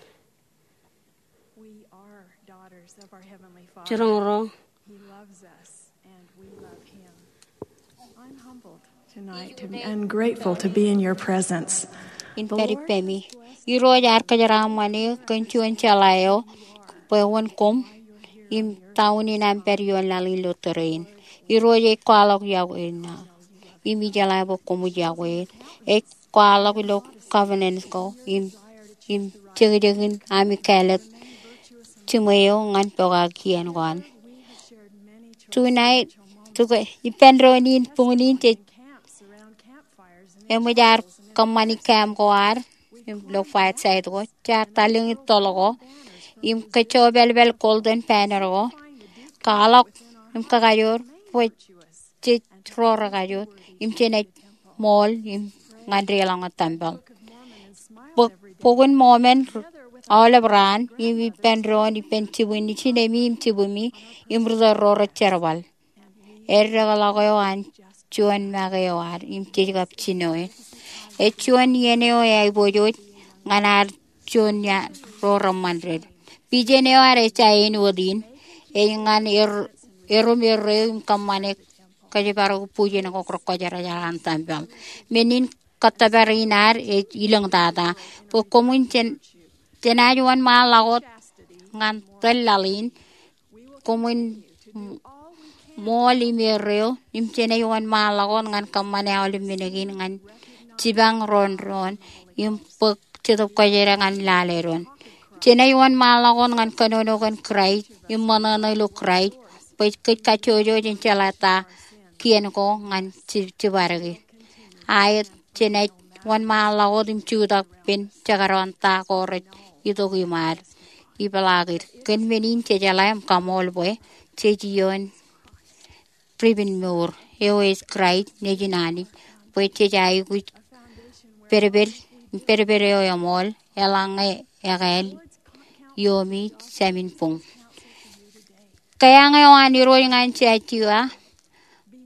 We are daughters of our Heavenly Father. Jiroñ ro. He loves us, and we love him. I'm humbled tonight to, and grateful to be in your presence. In pād ippemi. Irooj, ear kōjeraaṃṃan eō kōn juon jeḷā eo bwe wōn koṃ im ta unin aṃ pād ioon laḷ in ilo tōre in. Irooj ej kwaḷọk yokwe in aō im ijeḷā bwe koṃij yokwe in. Ej kwaḷọk ilo covenant ko im, im jekjekin ami kāālōt jiṃwe eo ñan pokake kien ko an. Tonight, ippān doon in buñūn in jej eṃōj ad kōṃṃani camp ko ad ilo fireside ko, jaar talliñ in toḷ ko im kōjopālpāl golden banner ko, kwaḷọk im kakajoor bwe jej ro rekajoor im jenaaj ṃool im ñan deḷọñ eo tempeḷ. Bok in Mōmon aolep raan im ippān doon ippān jibwin ijinemi im jibwimi im ri tōl ro rej jerbal. Eddekḷọk eo an juon make eo ad im jej kab jino e. Ej juon iien eo eaiboojoj ñan ad juon iaan ro reṃṃan ded. Vision eo ad ej āinwōt in, ej ñan er, erom erreo im kōṃṃane kōjparok bwijin ko rekwōjarjar an tempeḷ. Men in kōttōpar in ad ej ilōñtata. Bwe koṃwin jen, jenaaj wōnṃaanḷọk wōt ñan tōl laḷ in, koṃwin ṃool im erreo, im jenaaj wōnṃaanḷọk wōt ñan kōṃṃane aolep men kein ñan jipañ doon doon, im bōk Jetōb Kwōjarjar ñan lale doon. Jenaaj wōnṃaanḷọk wōt ñan kōnono kōn Kraist im ṃōṇōṇō ilo Kraist, bwe kōj kajjojo in jeḷā ta kien ko ñan ji-, jibadeke. Aet, jenaaj wōnṃaanḷọk wōt im jutak ippān jekdọọn ta ko rej itok iṃaad. Ipeḷaakid. Kōn men in jejeḷā im kaṃool bwe jej iioon ripin mour eo ej Kraist nejin Anij, bwe jej aikuj pedped, pedped eo eṃool, eḷaññe ekāāl iiomi jāmin buñ. Keeañ eo an Irooj ñan Jojua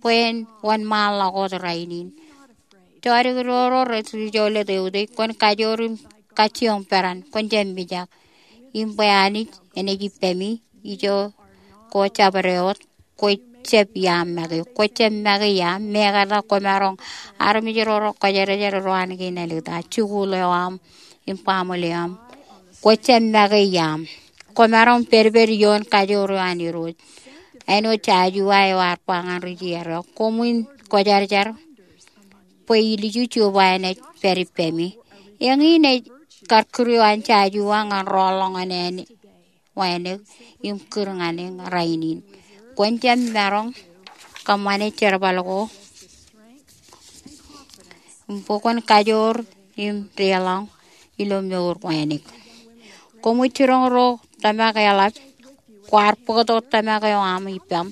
bwe en wōnṃaanḷọk wōt rainin. Jodikdik ro rej ri jolōt eutiej, kwōn kajoor im kajjioñ peran, kwōn jab mijak. Im bwe Anij enaaj ippemi, ijo ko jabdewōt, kwō jab iaam make, kwō jab make iaam, mekarta kwōmaroñ armej ro rekwōjarjar ro an kein āliktata, jikuuḷ eo aṃ, im baaṃle eo aṃ. Kwō jab make iaam. Kwōmaroñ pedped ioon kajoor eo an Irooj. Āinwōt Jojua eo ear ba ñan ri-Israel, koṃwin kwōjarjar bwe ilju jubwe enaaj pād ippemi. Eñin ej kar kūr eo an Jojua ñan rọọl ḷọk ñan āne wānōk im kūr ñan eō rainin. Kwōn jab maroñ kōṃṃane jerbal ko im bwe kwōn kajoor im deḷọñ ilo mour wānōk. Koṃij jiroñ ro tōmak eḷap, kwaar bōktok tōmak eo aṃ ippaṃ.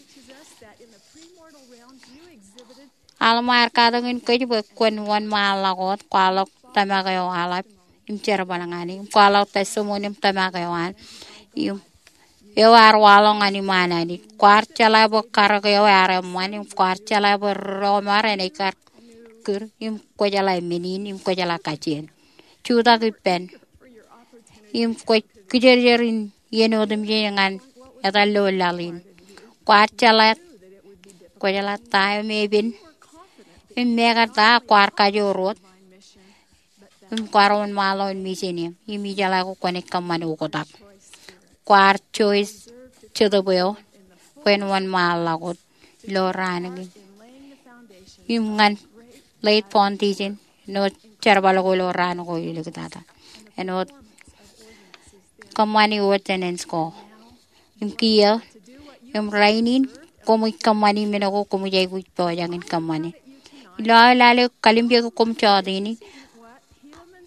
Alma ear katakin kōj bwe kwōn wōnṃaanḷọk wōt, kwaḷọk tōmak eo aḷap im jerbal ñan e, im kwaḷọk testimony im tōmak eo an, im eo ear waḷọk ñan iṃaan Anij. Kwaar jeḷā bwe karōk eo ear eṃṃan, im kwaar jeḷā bwe ri ro ṃōr enaaj kar kūr, im kwōjeḷā men in, im kwōjeḷā kajjien. Jutak ippān, im kwōj kijerjer in iien otemjej ñan etal ilo laḷ in. Kwaar jeḷā, kwōjeḷā ta eo epen, im mekarta kwaar kajoor wōt, im kwaar wōnṃaanḷọk in mission eṇ, im ijeḷā ko kwōnaaj kōṃṃane oktak. Kwaar choice Jetōb eo bwe en wōnṃaanḷọk wōt ilo raan kein. Im ñan laid foundation āinwōt jerbal ko ilo raan ko iliktata. Āinwōt kōṃṃani ordinance ko. Im kiiō, im rainin, koṃij kōṃṃani men ko koṃij aikuj pojak in kōṃṃane. Ilo aō lale kalimjeke koṃ jọteen in,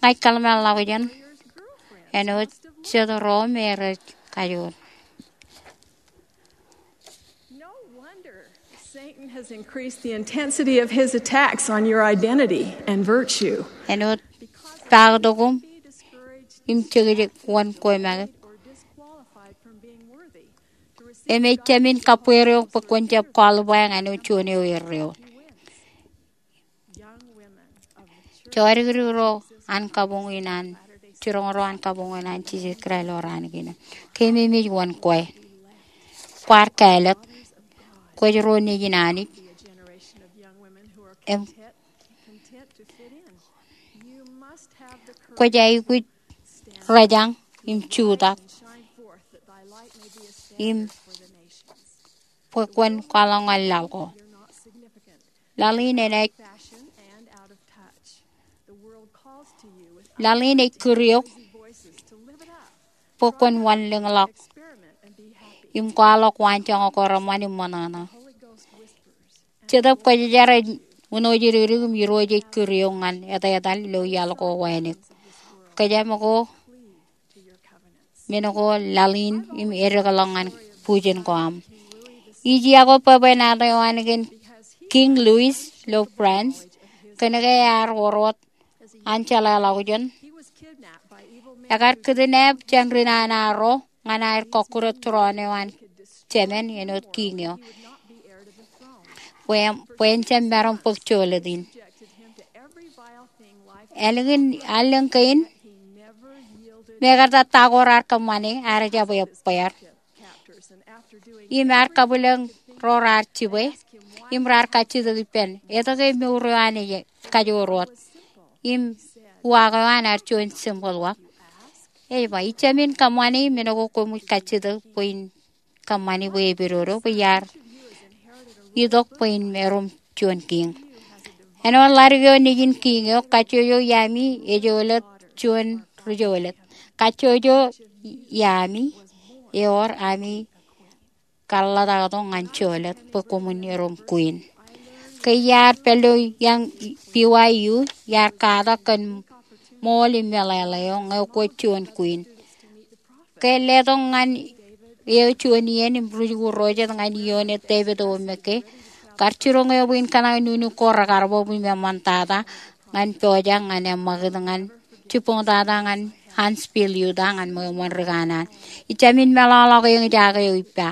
ña ij kōḷmānḷọkjeṇ āinwōt jet ro me rej kajoor. No wonder Satan has increased the intensity of his attacks on your identity and virtue. Āinwōt paktok koṃ im jekjek wōn kwe make. Im ej jāmin kabbweer eok bwe kwōn jab qualify ñan juon eo erreo. Jọdikdik ro an kabuñ in an, jiroñ ro an kabuñ in an Jisōs Kraist ilo raan kein. Keememej wōn kwe. Kwaar kāālōt. Kwōj ro nejin Anij. Im kwōj aikuj rōjañ im jutak im bwe kwōn kwaḷọk ñan laḷ ko. Laḷ in enaaj, laḷ in ej kūr eok bwe kwōn wanlōñḷọk im kwaḷọk waanjoñak ko reṃṃan im ṃōṇōṇō. Jetōb Kwōjarjar ej wūnooj dikdik im Irooj ej kūr eok ñan etetal ilo iaḷ ko wānōk. Kōjām ko men ko laḷ in im edekḷọk ñan bujen ko aṃ. Ij iọkwe bwebwenato eo an kōn King Louis ilo France, kōnke ear wōr wōt an jeḷāḷọkjeṇ. Ekar kidnap jān ri nana ro ñan aer kọkkure tūroon eo an Jemān āinwōt kiiñ eo. Bwe, bwe en jab maroñ bōk jolōt in. Ālikin, allōñ kein, mekarta ta ko raar kōṃṃane, ear jab ebbeer. Im ear kabwilōñ ro raar jibwe, im raar kajjitōk ippān, etke mour eo an ej kajoor wōt? Im uwaak eo an ear juon simple uwaak. Ej ba, ij jāmin kōṃṃane men ko koṃij kajjitōk bwe in kōṃṃani bwe epidodo bwe iar itok bwe in erom juon kiiñ. Āinwōt ḷadik eo nejin kiiñ eo, kajjojo iaami ej jolōt juon ri jolōt. Kajjojo iaami ewōr ami kaḷḷataktok ñan jolōt bwe koṃwin erom queen. Ke iar pād ilo iaan B Y U, iar katak kōn ṃool im meḷeḷe eo ñe kwōj juon queen. Ke letok ñan eo juon iien im ri jikuuḷ ro jet ñan ioon e David O. McKay, kar jiroñ eō bwe in kōṇaan nuknuk ko rekar bōk im eṃṃantata ñan pojak ñan eṃṃakūt ñan jibboñtata ñan Huntsville, Utah ñan ṃweo ṃōn ri kanaan. Ij jāmin meḷọkḷọk eñjake eo ippa.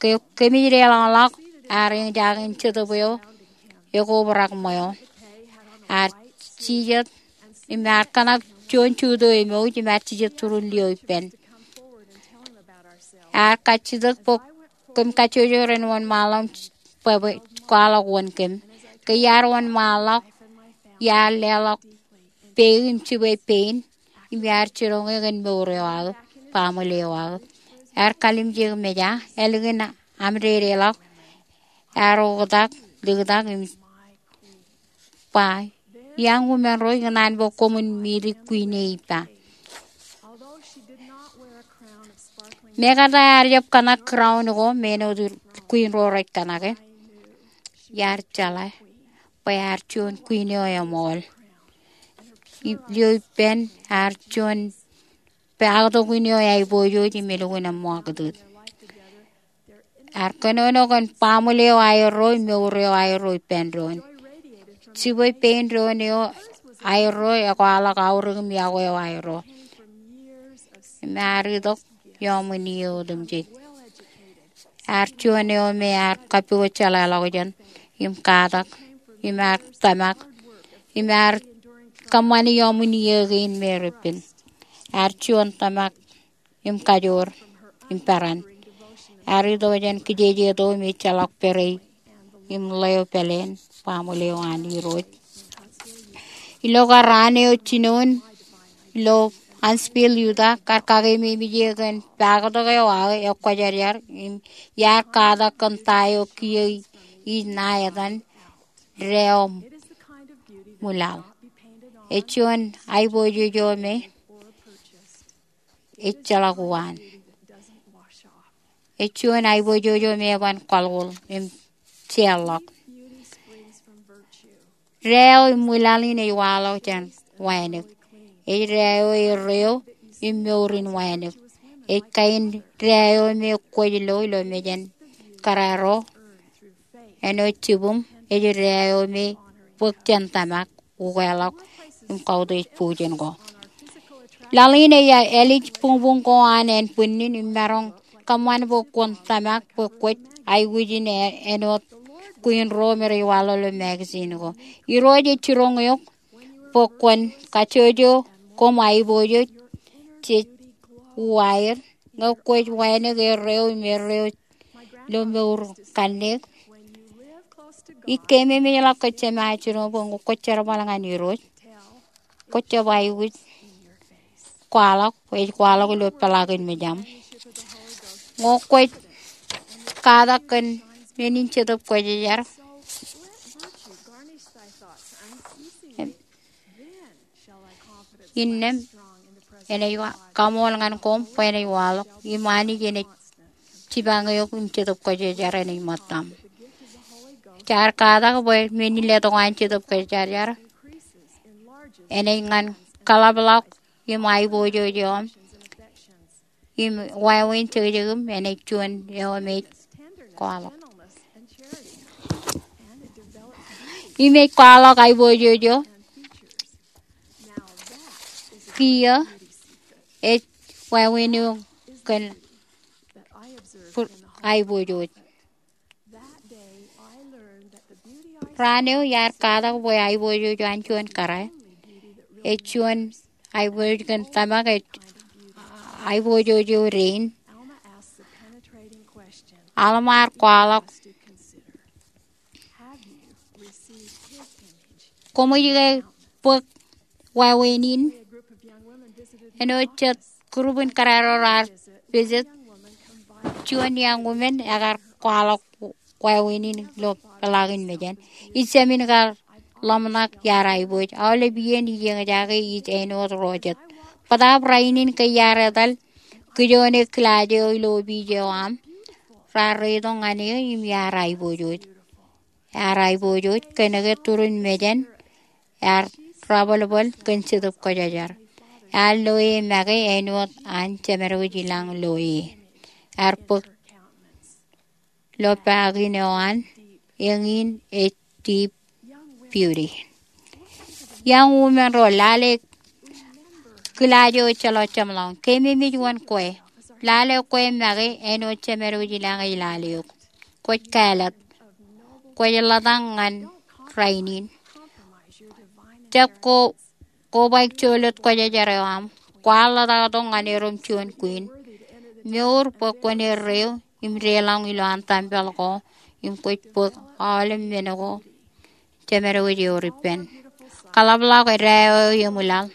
Ke, kōmij deḷọñḷọk ear eñjake in Jetōb eo ekobrak ṃweo. Ear jijet im ear kōṇak juon juto emouj im ear jijet turun lio ippān. Ear kajjitōk bwe kōm kajjojo ren wōnṃaanḷọk bwe, bwe kwaḷọk wōn kōm. Ke iar wōnṃaanḷọk, iar leḷọk peik im jibwe pein, im iar jiroñ e kōn mour eo aō, baaṃle eo aō. Ear kalimjek meja, ālikin aṃ dedeḷọk, ear oktak, liktak im ba, iaan wūmen ro, ikōṇaan bwe koṃwin meet queen e ippa. Mekarta ear jab kōṇak crown ko me āinwōt queen ro rej kōṇake, iar jeḷā bwe ear juon queen eo eṃool. Ilo ippān ear juon paktok in eo eaiboojoj im elukkuun eṃṃakūt. Ear kōnono kōn baaṃle eo aerro im mour eo aerro ippān doon. Jibwe pein doon eo aerro ekwaḷọk aorōk im iọkwe eo aerro. Im ear itok iọọṃ in iiō otemjej. Ear juon eo me ear kappukot jeḷāḷọkjeṇ im katak im ear tōmak im ear kōṃṃani ioṃwin iiō kein me repen. Ear juon tōmak im kajoor im peran. Ear itok jān kijejeto im ejjeḷọk pere im ḷeo pāleen baaṃle eo an Irooj. Ilo kar raan eo jinoin ilo Huntsville, Utah, kar kakeememej eō kōn paaktok eo aō ekwōjarjar im iar katak kōn ta eo kiiō ij ṇa etan dāeo ṃwilaḷ. Ej juon aiboojoj eo me ejjeḷọk uwaan. Ej juon aiboojoj eo me eban kwaḷoḷ im jeorḷọk. Dāeo im ṃwilaḷ in ej waḷọk jān wānōk. Ej dāeo erreo im mour in wānōk. Ej kain dāeo me kwōj lo ilo mejān kōrā ro āinwōt jibwim. Ej dāeo me bōk jān tōmak, ukeḷọk im kautiej bujen ko. Laḷ in ej ālij buñbuñ ko an ānbwinnin im maroñ kōṃṃan bwe kwōn tōmak bwe kwōj aikuj in āinwōt kwiin ro me rej waḷọk ilo magazine ko. Irooj ej jiroñ eok bwe kwōn kajjojo koṃ aiboojoj jej uwaer ñe kwōj wānōk erreo im erreo ilo mour kanniōk. Ij keememejḷọk kōj jema jino bwe ñe kwōj jerbal ñan Irooj, kwōj jab aikuj kwaḷọk, ej kwaḷọk ilo peḷaakin mejaṃ. Ñe kwōj katak kōn men in Jetōb Kwōjarjar, innām enaaj kaṃool ñan koṃ bwe enaaj waḷọk im Anij enaaj jipañ eok im Jetōb Kwōjarjar enaaj ṃōttaṃ. Jaar katak bwe men in letok an Jetōb Kwōjarjar enaaj ñan kaḷapḷọk im aiboojoj eo aṃ im wāween jekjekim enaaj juon eo me ej kwaḷọk. Im ej kwaḷọk aiboojoj eo kiiō ej wāween eo kōn aiboojoj. Raan eo iar katak bwe aiboojoj eo an juon kōrā, ej juon aiboojoj kōn tōmak, ej aiboojoj eo dein. Alma ear kwaḷọk, koṃij ke bōk wāween in? Āinwōt jet group in kōrā ro raar visit, juon young woman ekar kwaḷọk wāween in ilo peḷaakin mejān. Ij jāmin kar ḷōmṇak iar aibooj. Aolep iien ij eñjake ij āinwōt ro jet. Bōtaab rainin ke iar etal kijoone kilaaj eo ilo opiij eo aṃ, raar reitok ñan eō im iar aiboojoj. Ear aiboojoj kōnke turin mejān ear rabōlbōl kōn Jetōb Kwōjarjar. Ear loe make āinwōt an Jemed wōj i lañ loe. Ear bōk lopaakin eo an, eñin ej deep beauty. Young woman ro, lale kilaaj eo ejjeḷọk jeṃḷọkin. Keememej wōn kwe? Lale kwe make āinwōt Jemed wōj i lañ ej lale eok. Kwōj kāālōt. Kwōj ḷōtak ñan rainin. Jab ko kobaik jolōt kwōjarjar eo aṃ. Kwaar ḷotaktok ñan erom juon kwiin. Mour bwe kwōn erreo im deḷọñ ilowaan tempel ko im kwōj bōk aolep men ko Jemed wōj ewōr ippān. Kaḷapḷọk dāeo eo eṃwilaḷ.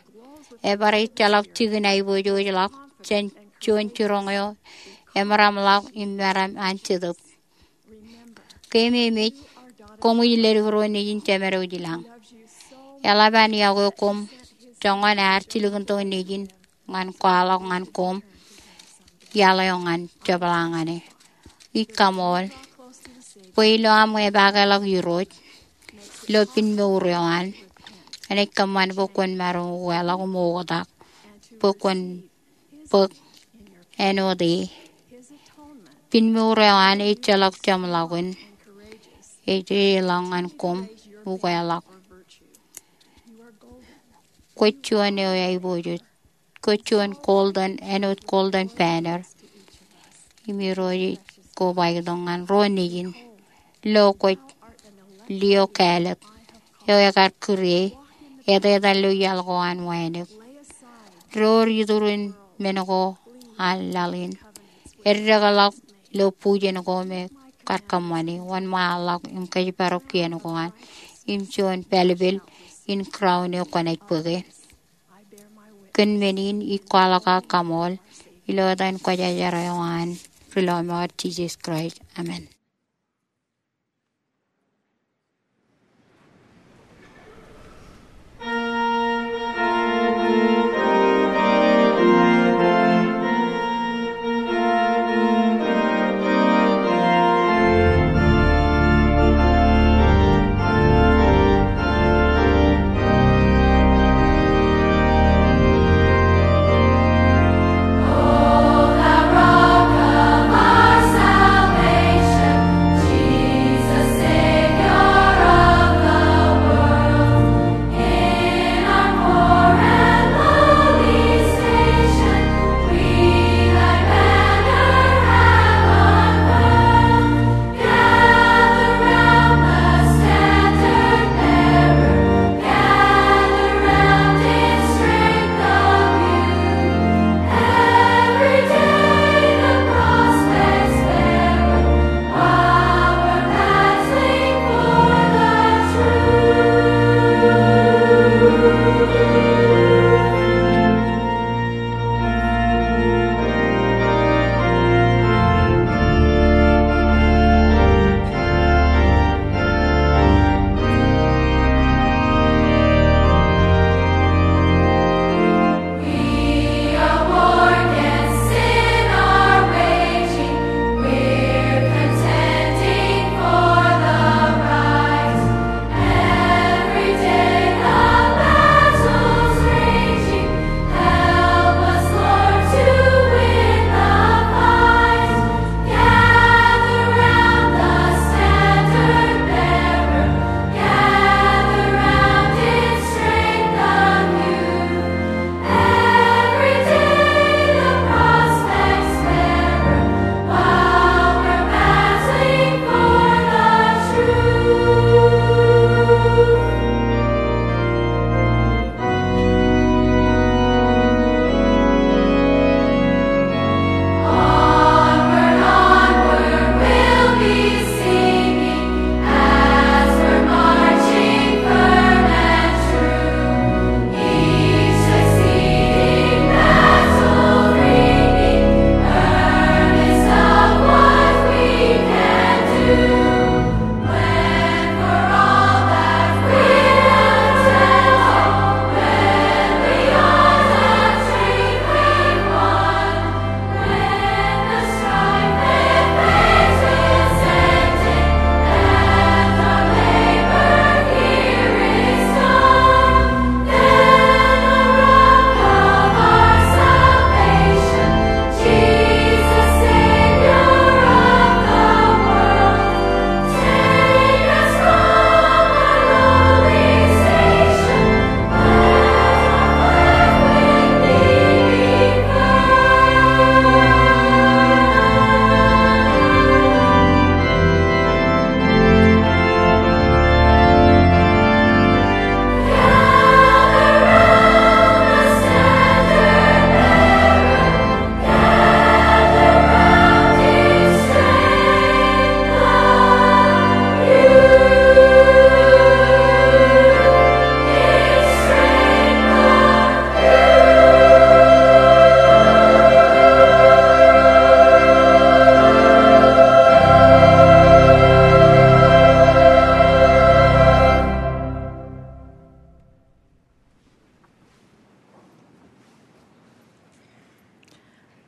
Ebar ejjeḷọk jikin aiboojojḷọk jān juon jiroñ eo emaroñḷọk im maroñ an Jetōb. Keememej, koṃij ledik ro nejin Jemed wōj i lañ. Eḷap an iọkwe koṃ joñan ear jilkintok nejin ñan kwaḷọk ñan koṃ iaḷ eo ñan jepḷaak ñan e. Ij kaṃool bwe ilo aṃ epaakḷọk Irooj ilo pinmour eo an, enaaj kōṃṃan bwe kwōn maroñ ukeḷọk im oktak bwe kwōn bōk āinwōt e. Pinmour eo an ejjeḷọk jeṃḷọkin. Ej deḷọñ ñan koṃ ukeḷọk. Kwōj juon eo aiboojoj. Kwōj juon golden, āinwōt golden banner. Im Irooj ej kobaik tok ñan ro nejin. Lo kwōj lio kāālōt eo ekar kūr e, etetal ilo iaḷ ko an wānōk. Door iturin men ko an laḷ in. Eddekḷọk ilo bujen ko me kar kōṃṃani, wōnṃaanḷọk im kōjparok kien ko an, im juon pālpel in crown eo kwōnaaj bōke. Kōn men in ij kwaḷọk aō kaṃool ilo etan Kwōjarjar eo an Rilọmọọr, Jisōs Kraist. Amen.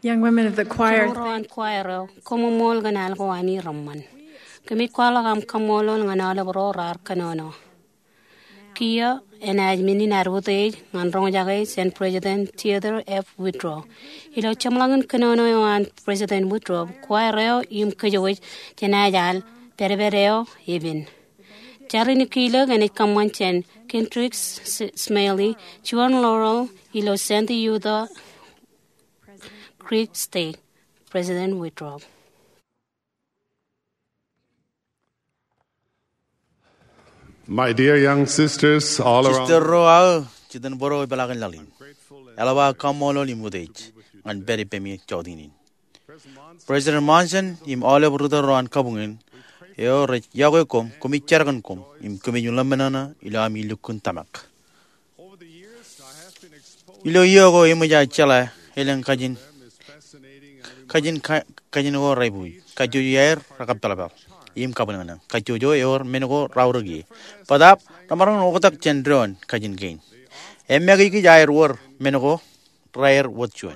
Young women of the choir. Ro an choir eo, koṃṃool kōn al ko an reṃṃan. Kōmij kwaḷọk aṃ kaṃṃoolol ñan aolep ro raar kōnono. Kiiō enaaj men in ad utiej ñan roñjake jān President Theodore F. Woodrow. Ilo jeṃḷọkin kōnono eo an President Woodrow, choir eo im kōjwōj jenaaj al pedped eo epen. Jar in ikijjeen enaaj kōṃṃan jān Kendrick S-, S-, Smalley, juon laurel ilo Santa Yuta Creek State, President Woodrow. My dear young sisters all around. Sister ro aō, jitōnbōro ipeḷaakin laḷ in. Eḷap aō kaṃṃoolol im utiej ñan pād ippemi jọteen in. President Monson im aolep ri-tōl ro an kabuñ in eo rej yokwe koṃ, koṃij jerkakpeḷ koṃ im kōmij ḷōmṇōṇō ilo ami lukkuun tōmak. Ilo iiō ko eṃōj aō jeḷā elōñ kajin, kajin ka-, kajin ko rebuuj, kajjojo aer rekappeḷpeḷ im kabwilōñlōñ, kajjojo ewōr men ko raorōk ie. Bōtaab remaroñ in oktak jān doon kajin kein. Eṃṃakijkij aer wōr men ko raer wōt juon.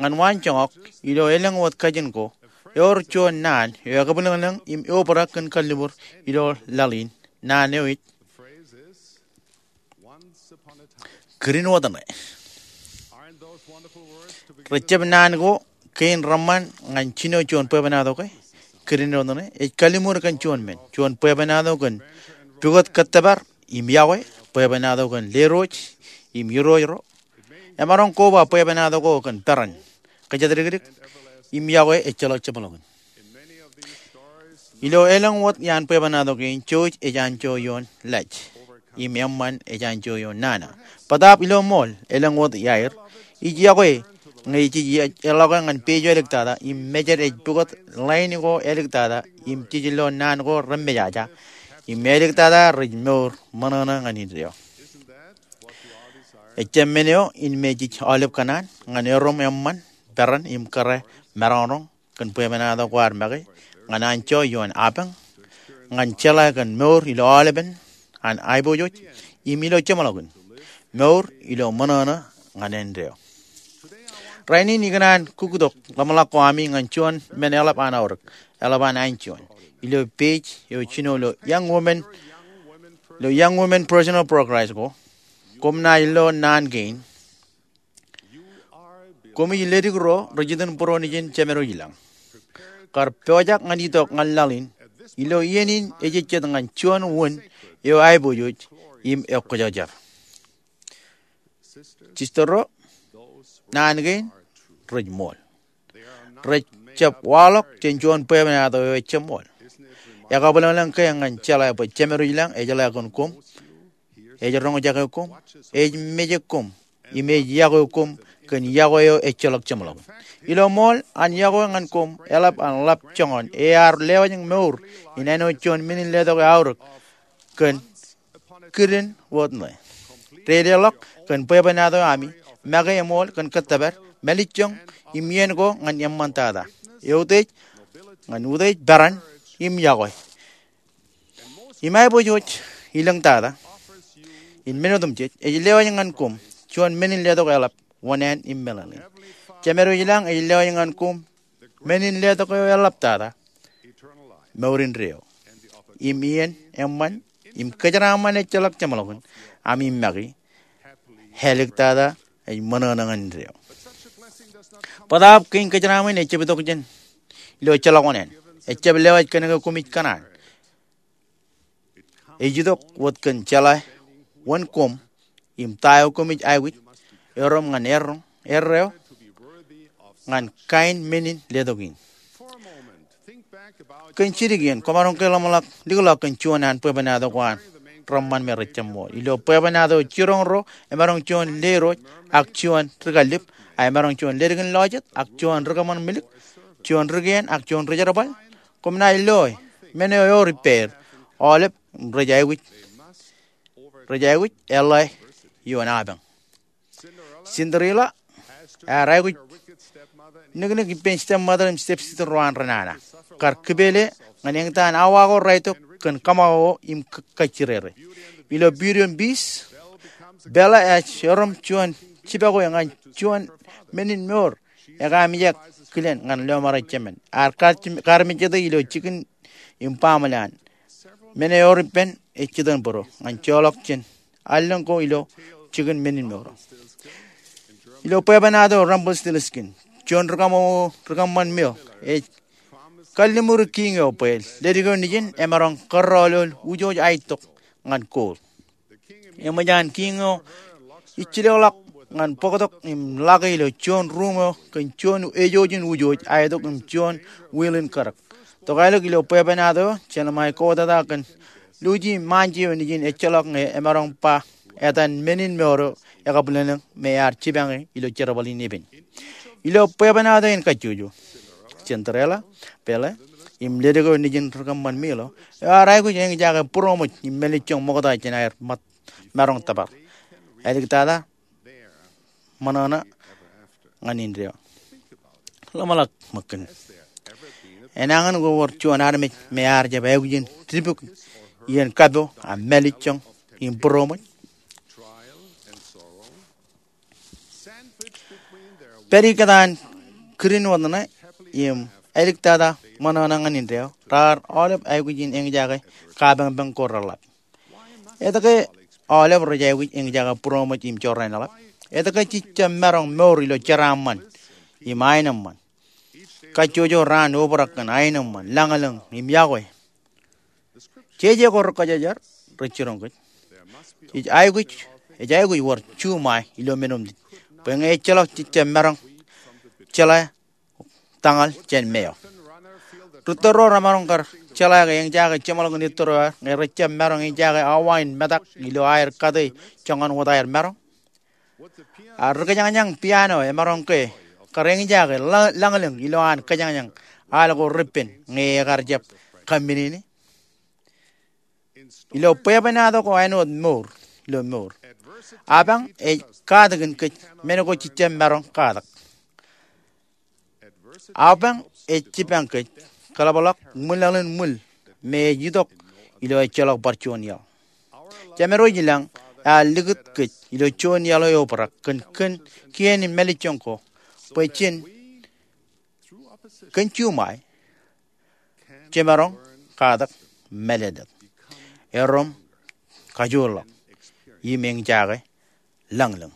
Ñan waan joñak, ilo elōñ wōt kajin ko ewōr juon naan eo ekabwilōñlōñ im eobrak kōn kalliṃur ilo laḷ in. Naan eo ej Kirin Wōt Ṇe. Rejjab naan ko kein reṃṃan ñan jino juon bwebwenato ke? Kirin Wōt Ṇe ej kalliṃur kōn juon men, juon bwebwenato kōn pukot kōttōpar im iọkwe, bwebwenato kōn lerooj im irooj ro. Emaroñ koba bwebwenato ko kōn peran, kōjatdikdik im iọkwe ejjeḷọk jeṃḷọkin. Ilo elōñ wōt iaan bwebwenato kein, jouj ej anjọ ioon laj im eṃṃan ej anjọ ioon nana. Bōtaab ilo ṃool, elōñ wōt iaer ij iọkwe ñe jej ej eḷọke ñan page eo āliktata im mejed ej pukot line ko āliktata im jej lo naan ko remejaja im āliktata rej mour ṃōṇōṇō ñan indeeo. Ejjab men eo in me jej aolep kōṇaan ñan erom eṃṃan, peran im kōrā maroñroñ kōn bwebwenato kwaar make ñan anjọ ioon apañ, ñan jeḷā kōn mour ilo aolepen an aiboojoj im ilo jeṃḷọkin, mour ilo ṃōṇōṇō ñan indeeo. Rainin ikōṇaan kuktok ḷōmṇak ko ami ñan juon men eḷap an aorōk, eḷap an anjọ ilo page eo jino lo Young Women, lo Young Women Personal Progress ko. Koṃ naaj lo naan kein. Koṃij ledik ro rej itōn būruon ijin jemedwōj ilañ. Kar pojak ñan itok ñan laḷ in, ilo iien in ejejjet ñan juon wūn eo aiboojoj im ekwōjarjar. Sister ro, naan kein rej ṃool. Rejjab waḷọk jān juon bwebwenato eo ejjab ṃool. Ekabwilōñlōñ ke ñan jeḷā bwe jemedwōj ilañ ejeḷā kōn koṃ, ej roñjake koṃ, ej mejek koṃ, im ej iọkwe koṃ kōn iọkwe eo ejjeḷọk jeṃḷọkin. Ilo ṃool, an iọkwe ñan koṃ eḷap an ḷap joñan ear lewōj mour in āinwōt juon men in letok eo aorōk kōn Kirin Wōt Ṇe. Dedeḷọk kōn bwebwenato ami, make eṃool kōn kōttōpar, mālejjoñ im iien ko ñan eṃṃantata, eutiej, ñan utiej, peran im iọkwe. Im aiboojoj, ilōñtata in men otemjej, ej lewōj ñan koṃ juon men in letok eḷap wōṇāān im meḷeḷein. Jemedwōj ilañ ej lewōj ñan koṃ men in letok eo eḷaptata, mour indeeo, im iien eṃṃan im kōjeraaṃṃan ejjeḷọk jeṃḷọkin ami make, āliktata ej ṃōṇōṇō ñan indeeo. Bōtaab kein kōjeraaṃṃan ejjab itok jān ilo ejjeḷọk wōṇāān. Ejjab lewōj kōnke koṃij kōṇaan. Ej itok wōt kōn jeḷā wōn koṃ im ta eo koṃij aikuj erom ñan erro, erro ñan kain men in letok in. Kōn jidik iien, kwōmaroñ ke ḷōmṇak likḷọk kōn juon an bwebwenato ko an reṃṃan me rejjab ṃool. Ilo bwebwenato jiroñ ro, emaroñ juon lerooj, ak juon ri-kallib, ak emaroñ juon leddik in lọjet, ak juon ri-kōṃṃan milik, juon ri-kien, ak juon ri-jerbal. Koṃ naaj loe men eo ewōr ippāer, aolep rej aikuj, rej aikuj eḷḷā ioon apañ. Cinderella ear aikuj niknik ippān stepmother im stepsister ro an renana. Kar kipele ñan eñtaan awa ko raetok kōn kōṃakoko im k-, kajjirere. Ilo Beauty and Beast, Belle ej erom juon jibakwe ñan juon men in mour ekaamijak kilen ñan lọmọọr ejjab men. Ear kar-, karmejjete ilo jikin im baaṃle an. Men eo ewōr ippān ej jitōnbōro ñan joḷọk jān allōñ ko ilo jikin men in mour. Ilo bwebwenato Rumpelstiltskin, juon ri-kōṃakoko, ri-kōṃṃan male ej kalliṃur kiiñ eo bwe leddik eo nejin emaroñ kōrọọlol wūjooj aetok ñan gold. Eṃōj an kiiñ eo ijjilōkḷọk ñan bōktok im lake ilo juon ruuṃ eo kōn juon ejojin wūjooj aetok im juon wheel in karōk. Tokālik ilo bwebwenato eo, jenaaj ṃae kōtata kōn Lucy im Mancio nejin ejjeḷọk ñe emaroñ ba etan men in mour eo ekabwilōñlōñ me ear jipañe ilo jerbal in epen. Ilo bwebwenato in kajjojo, Cinderella, Belle, im ledik eo nejin ri kōṃṃan Milo eo ear aikuj eñjake būroṃōj im mālejjoñ ṃokta jān aer maroñ tōpar, āliktata ṃōṇōṇō ñan indeeo. Ḷōmṇak ṃōk kōn enañin ko wōr juon armej me ear jab aikuj in dipuk iien kapo ak mālejjoñ im būroṃōj. Pād ikōtaan kirin wōt ṇe im āliktata ṃōṇōṇō ñan indeeo, raar aolep aikuj in eñjake kapañpañ ko reḷḷap. Etke aolep rej aikuj eñjake būroṃōj im jorrāān eḷap? Etke jej jab maroñ mour ilo jeraaṃṃan im aenōṃṃan? Kajjojo raan obrak kōn aenōṃṃan, lañlōñ im iọkwe. Jeje ko rekajjājar rej jiroñ kōj. Jej aikuj, ej aikuj wōr juṃae ilo men otemjej bwe ñe ejjeḷọk jej jab maroñ jeḷā tañal jān meo. Rūtto ro remaroñ kar jeḷā ke eñjake jeṃḷọkin ettōr eo aer ñe rej jab maroñ eñjake awa in metak ilo aer kate joñan wōt aer maroñ. Ak ri kōjañjañ piano emaroñ ke kar eñjake lañlōñ ilo an kōjañjañ al ko repen ñe ekar jab kaminene? Ilo bwebwenato ko āinwōt mour ilo mour, apañ ej katakin kōj men ko jej jab maroñ katak. Apañ ej jipañ kōj kōḷapḷọk ṃwilaḷ in ṃwil me ej itok ilo ejjeḷọk bar juon iaḷ. Jemedwōj i lañ ear likūt kōj ilo juon iaḷ eo obrak kōn kien in mālejjoñ ko bwe jen kōn juṃae jemaroñ katak mālōtlōt, erom kajoorḷọk im eñjake lañlōñ.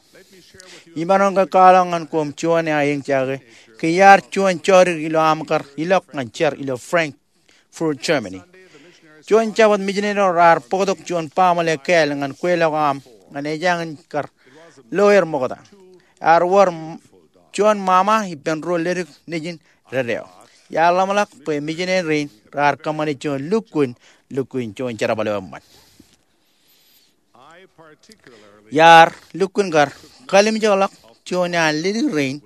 Imaroñ ke kwaḷọk ñan koṃ juon eñjake ke iar juon jọdik ilo aṃ kar ilọk ñan jar ilo Frankfurt, Germany. Juon Jabōt mijineri eo raar bōktok juon baaṃle kāāl ñan kweilọk aṃ ñan ejāñin kar lo er ṃokta. Ear wōr juon ṃaṃa ippān ruo ledik nejin dedeeo. Iar ḷōmṇak bwe mijineri rein raar kōṃṃane juon lukkuun, lukkuun juon jerbal eo eṃṃan. Iar lukkuun kar kalimjekḷọk juon an ledik rein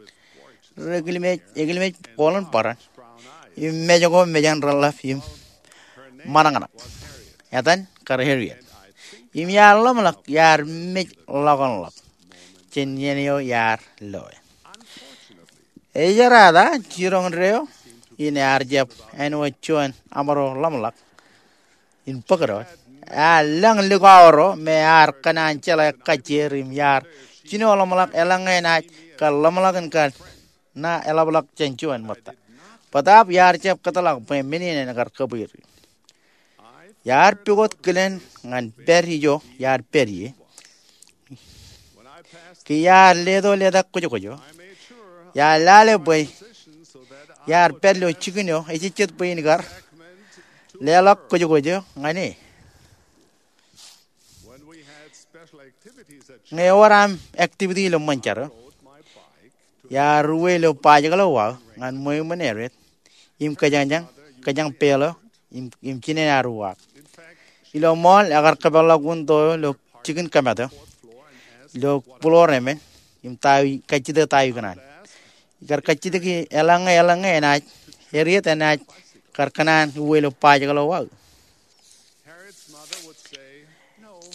rej ekilmej, ekilmej booḷin bōran im mej ko mejān reḷḷap im ṃōṇōṇō. Etan kar Harriet. Im iar ḷōmṇak iar mej ḷọkōnḷọk jān iien eo iar loe. Ejerata jiroñ deo in ear jab āinwōt juon aṃro ḷōmṇak in bōk doon. Ear lañ likao ro me ear kōṇaan jeḷā kajjier im iar jino ḷōmṇak eḷaññe enaaj kar ḷōmṇak in kar ṇa eḷapḷọk jān juon ṃōtta. Bōtaab iar jab kōtḷọk bwe men in en kar kōbwiiri. Iar pukot kilen ñan pād ijo iar pād ie. Ke iar leto letak kwōjkwōj eo, iar lale bwe iar pād ilo jikin eo ejejjet bwe in kar leḷọk kwōjkwōj eo ñan e. Ñe ewōr aṃ activity ilo ṃōn jar eo, iar uwe ilo bajjek ḷọk wōt ñan ṃweo iṃōn Harriet im kōjañjañ, kōjañ peel eo im, im jinen ad uwaak. Ilo mall ekar kōpeḷḷọk window eo ilo jikin kōmat eo ilo floor emān im ta, kajjitōk ta ikōṇaan. Ikar kajjitōk eḷaññe, eḷaññe enaaj, Harriet enaaj kar kōṇaan uwe ilo bajjek ḷọk wōt.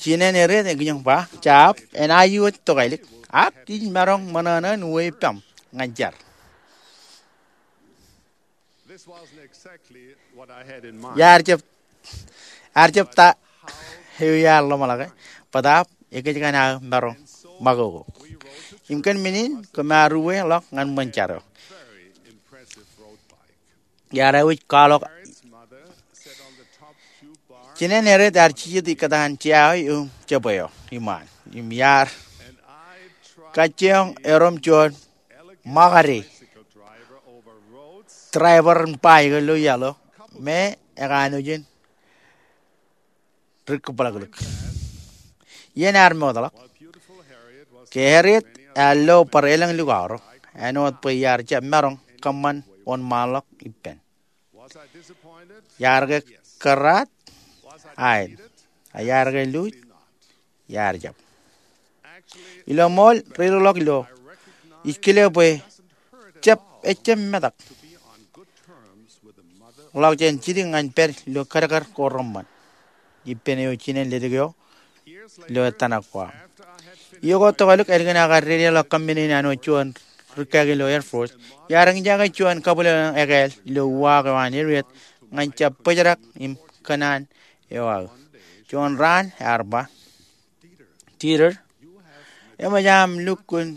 Jinen Harriet ekijoñ ba, jab, enaaj iwōj tokālik, ak ij maroñ ṃōṇōṇō in uwe ippaṃ ñan jar. Iar jab, iar jab ta eo iar ḷōmṇake, bōtaab ekōjkan aō maroñ ṃakoko. Im kōn men in kōm ar uwe ḷọk ñan ṃōn jar eo. Iar aikuj kwaḷọk. Jinen Harriet ear jijet ikōtaan jea eo im jebwe eo iṃaan im iar kajjioñ erom juon ṃakade driver in bajjek ilo iaḷ eo me ekanooj in dik kōbōḷaklik. Iien ear mootḷọk, ke Harriet ear lo bar elōñ likao ro āinwōt bwe iar jab maroñ kōṃṃan wōnṃaanḷọk ippān. Iar ke kōrraat? Aet. A iar ke luuj, iar jab. Ilo ṃool, ri-lọkḷọk ilo ij kile bwe jab, ejjab metak ḷọk jān jidik ñan pād ilo kadkad ko reṃṃan ippān eo jinen ledik eo ilo ettōṇak ko aṃ. Iiō ko tokālik ālikin aō kar dedeḷọk kōmmen in an wōt juon rikkāāke ilo Air Force, iar eñjake juon kabwilōñlōñ ekāāl ilo uwaak eo an Harriet ñan jab bōjrak im kōṇaan eo aō. Juon raan ear ba, Dieter, eṃōj aṃ lukkuun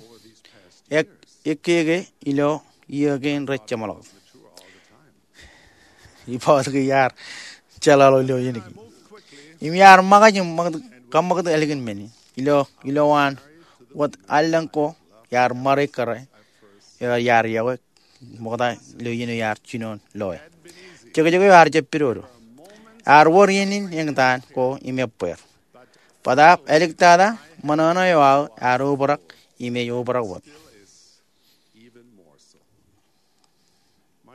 ek-, ekkeke ilo iiō kein rej jeṃḷọk. Ibaḷọk iar jeḷāḷọk ilo iien kein im iar ṃōkaj im ṃōk-, kaṃṃōktok ālikin men in. Ilo, ilowaan wōt allōñ ko, iar ṃare kōrā eo iar yokwe ṃokta ilo iien eo iar jinoin loe. Jekjek eo ear jab pidodo. Ear wōr iien in eñtaan ko im ebbeer. Bōtaab āliktata ṃōṇōṇō eo aō ear obrak im ej obrak wōt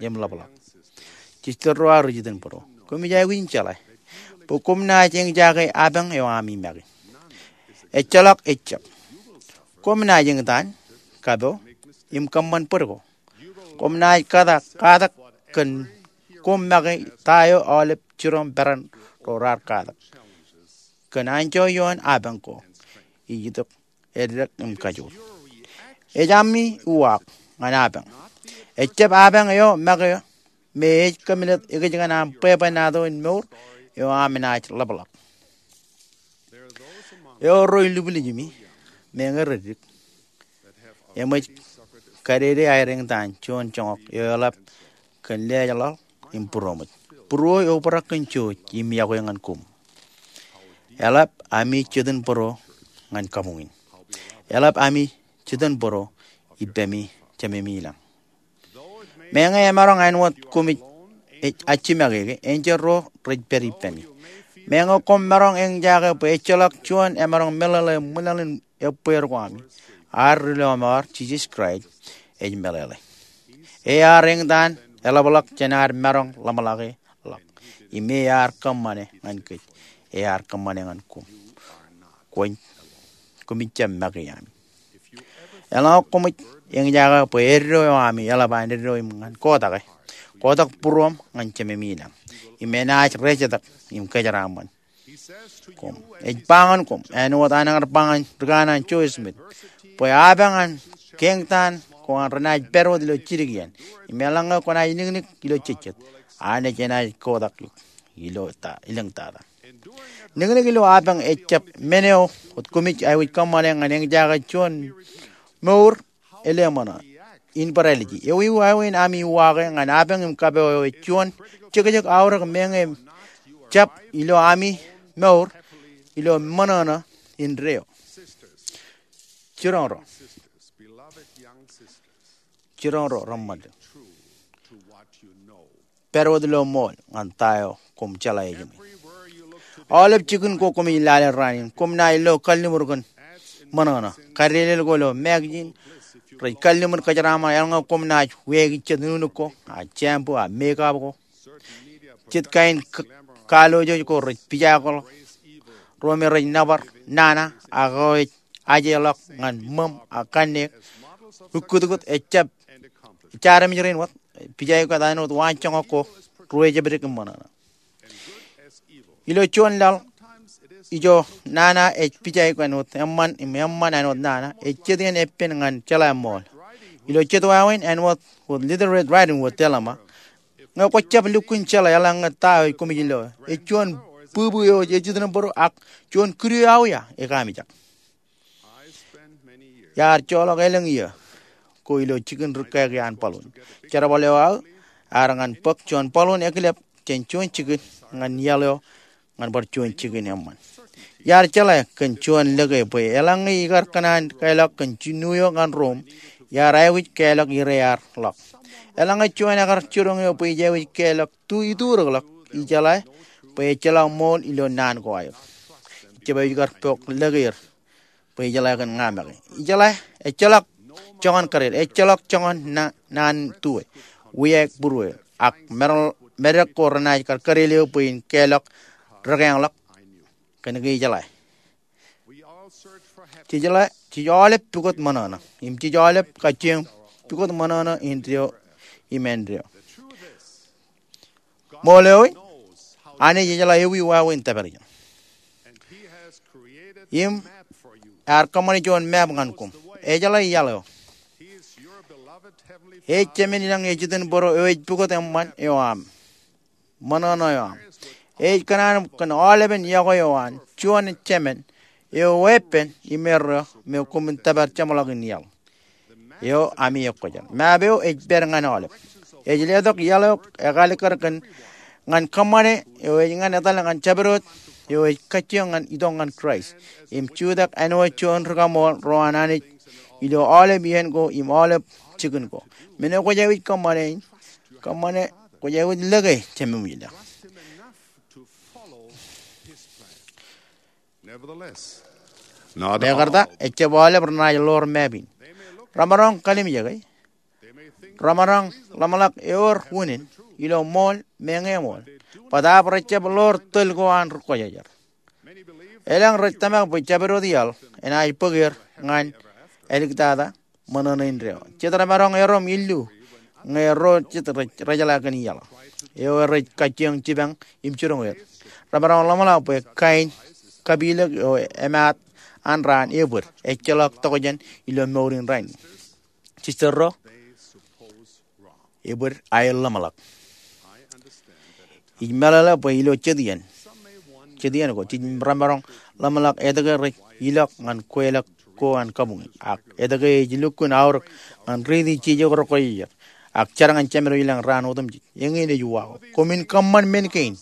im ḷapḷọk. Jistōn ro aō ri jitōnbōro, koṃij aikuj in jeḷā bwe koṃ naaj eñjake apañ eo ami make. Ejjeḷọk ejjab. Koṃ naaj eñtaan, kapo, im kōṃṃan bōd ko. Koṃ naaj katak, katak kōn koṃ make ta eo aolep jiroñ peran ro raar katak. Kōn anjọ ioon apañ ko ij itok eddek im kajoor. Ej ami uwaak ñan apañ. Ejjab apañ eo make me ej kōmmitōt ekōjkan aṃ bwebwenato in mour eo aṃ naaj ḷapḷọk. Ewōr ro ilubwilej ijimi, meñe reddik, eṃōj kadede aer eñtaan juon joñak eo eḷap kōn lejḷọk im būroṃōj. Būruō eobrak kōn jooj im yokwe ñan koṃ. Eḷap ami jitōnbōro ñan kabuñ in. Eḷap ami jitōnbōro ippemi Jememi ilañ. Meñe emaroñ āinwōt koṃij ej-, ajjimake ke, enjeḷ ro rej pād ippemi. Meñe koṃ maroñ eñjake bwe ejjeḷọk juon emaroñ meḷeḷe ṃwilaḷ in ebbeer ko ami, ad ri lọmọọr Jisōs Kraist ej meḷeḷe. Ear eñtaan eḷapḷọk jān ad maroñ ḷōmṇake ḷọk. Im ear kōṃṃane ñan kōj. Ear kōṃṃane ñan koṃ. Kwōn, koṃij jab make ami. Eḷaññe koṃij eñjake bwe eddo eo ami eḷap an eddo im ñan kotak e, kotak būruōṃ ñan Jememi ilañ, im enaaj rejetak im kōjeraaṃṃan koṃ. Ej ba ñan koṃ, āinwōt an ear ba ñan ri kanaan Joseph Smith, bwe apañ an keeñtaan ko an renaaj pād wōt ilo jidik iien, im eḷaññe kwōnaaj niknik ilo jejjet, Anij enaaj kotak eok ilo ta, elōñ tata. Niknik ilo apañ ejjab men eo wōt koṃij aikuj kōṃṃane ñan eñjake juon mour eleṃōṇō, inbōrāliji. Ewi wāween ami uwaake ñan apañ im kapo eo ej juon jekjek aorōk meñe jab ilo ami mour ilo ṃōṇōṇō indeeo? Jiroñ ro, jiroñ ro reṃṃan, pād wōt ilo ṃool ñan ta eo koṃ jeḷā ej ṃōj. Aolep jikin ko koṃij lale raan in, koṃ naaj lo kalliṃur kōn ṃōṇōṇō. Kadedeḷọk ko ilo magazine rej kalliṃur kōjeraaṃṃan eḷaññe koṃ naaj weeki jet nuknuk ko, a shampoo, a makeup ko. Jet kain k-, kalooj ko rej pijaakḷọk ro me rej nōbar nana, ak eo ej ajeḷọk ñan ṃōṃ, a kanniōk. Ukkutkut ejjab, ejjaad armej rein wōt, pijaik wōt āinwōt waanjoñak ko ruwejebdik im ṃōṇōṇō. Ilo juon laḷ ijo nana ej pijaik āinwōt eṃṃan im eṃṃan āinwōt nana, ej jet iien eppān ñan jeḷā ṃool. Ilo jet wāween āinwōt wōt Little Red Riding Hood, Thelma, ñe kwōjab lukkuun jeḷā eḷaññe ta eo ej koṃij lo, ej juon būbū eo ej jitōnbōro ak juon kidu eo aō ia ekaamijak. Iar joḷọk elōñ iiō ko ilo jikin rikkāāke an baloon. Jerbal eo aō ear ñan bōk juon baloon ekilep jān juon jikin ñan iaḷ eo ñan bar juon jikin eṃṃan. Iar jeḷā kōn juon lōke bwe eḷaññe ikar kōṇaan kālọk kōn jino eo ñan Rom, iar aikuj kālọk ire ear ḷọk. Eḷaññe juon ekar jiroñ eo bwe ij aikuj kālọk tu iturōkḷọk, ijeḷā bwe ejjeḷọk ṃool ilo naan ko aer. Ijjab aikuj kar bōk lōke er bwe ijeḷā kōn ña make. Ijeḷā, ejjeḷọk joñan kōded, ejjeḷọk joñan na-, naan tue, wiaik būrueir, ak medek, medek ko renaaj kar kōded eo bwe in kālọk rekeañḷọk kōn ke ijeḷā. Jej jeḷā, jej aolep pukot ṃōṇōṇō im jej aolep kajjioñ pukot ṃōṇōṇō indeeo im āindeeo. Ṃool eo in, Anij ejeḷā ewi wāween tōpar ijeṇ im ear kōṃṃane juon map ñan koṃ. Ejeḷā iaḷ eo. Ej Jemān ilañ ej itin bōro eo ej pukot eṃṃan eo aṃ, ṃōṇōṇō eo aṃ. Ej kōṇaan kōn aolepen iọkwe eo an juon Jemān eo weeppān im erreo me koṃwin tōpar jeṃḷọkin iaḷ eo ami ekwōjar. Map eo ej pād ñan aolep. Ej letok iaḷ eo ekalikkar kōn ñan kōṃṃane eo ej ñan etal ñan jabdewōt eo ej kajjioñ ñan itok ñan Kraist im jutak āinwōt juon rikaṃool ro an Anij ilo aolep iien ko im aolep jikin ko. Men eo kwōj aikuj kōṃṃane in, kōṃṃane, kwōj aikuj lōke Jemem ilañ. Mekarta, ejjab aolep renaaj ḷoor map in. Remaroñ kalimjeke. Remaroñ ḷōmṇak ewōr unin ilo ṃool, meñe ṃool. Bōtaab rejjab ḷoor tōl ko an ri kwōjarjar. Elōñ rej tōmak bwe jabdewōt iaḷ enaaj bōk er ñan āliktata ṃōṇōṇō indeeo. Jet remaroñ erom illu ñe ro jet rej, rejeḷā kōn iaḷ eo rej kajjioñ jipañ im jiroñ er. Remaroñ ḷōmṇak bwe kain kapilōk eo emaat an raan ebōd ejjeḷọk tokjān ilo mour in rainin. Jistōn ro, ebōd aer ḷōmṇak. Ij meḷeḷe bwe ilo jet iien, jet iien ko, jej remaroñ ḷōmṇak etke rej ilọk ñan kweilọk ko an kabuñe, ak etke ej lukkuun aorōk ñan riiti jijet ko ri kwōjarjar, ak jar ñan Jemem ilañ raan otemjej. Eñin ej uwaak. Koṃwin kōṃṃan men kein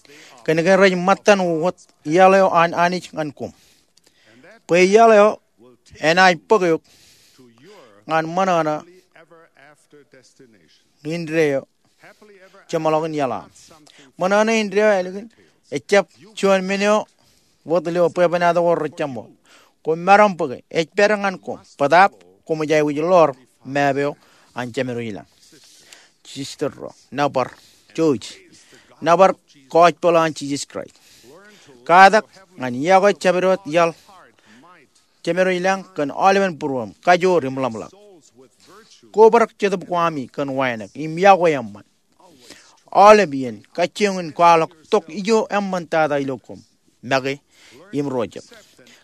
kōn ke rej ṃōttan wōt iaḷ eo an Anij ñan koṃ. Bwe iaḷ eo enaaj bōk eok ñan ṃōṇōṇō indeeo jeṃḷọkin iaḷ aṃ. Ṃōṇōṇō indeeo ālikin ejjab juon men eo wōt ilo bwebwenato ko rejjab ṃool. Koṃ maroñ bōke, ej pād ñan koṃ, bōtaab koṃij aikuj ḷoor map eo an Jemem ilañ. Jistōn ro, nōbar, jouj, nōbar gospel an Jisōs Kraist. Katak ñan iọkwe jabdewōt iaḷ Jemem ilañ kōn aolepen būruōṃ, kajoor im ḷōmṇak. Kobrak jetōb ko ami kōn wānōk im iọkwe eṃṃan. Aolep iien kajjioñ in kwaḷọk tok ijo eṃṃantata ilo koṃ make im ro jab.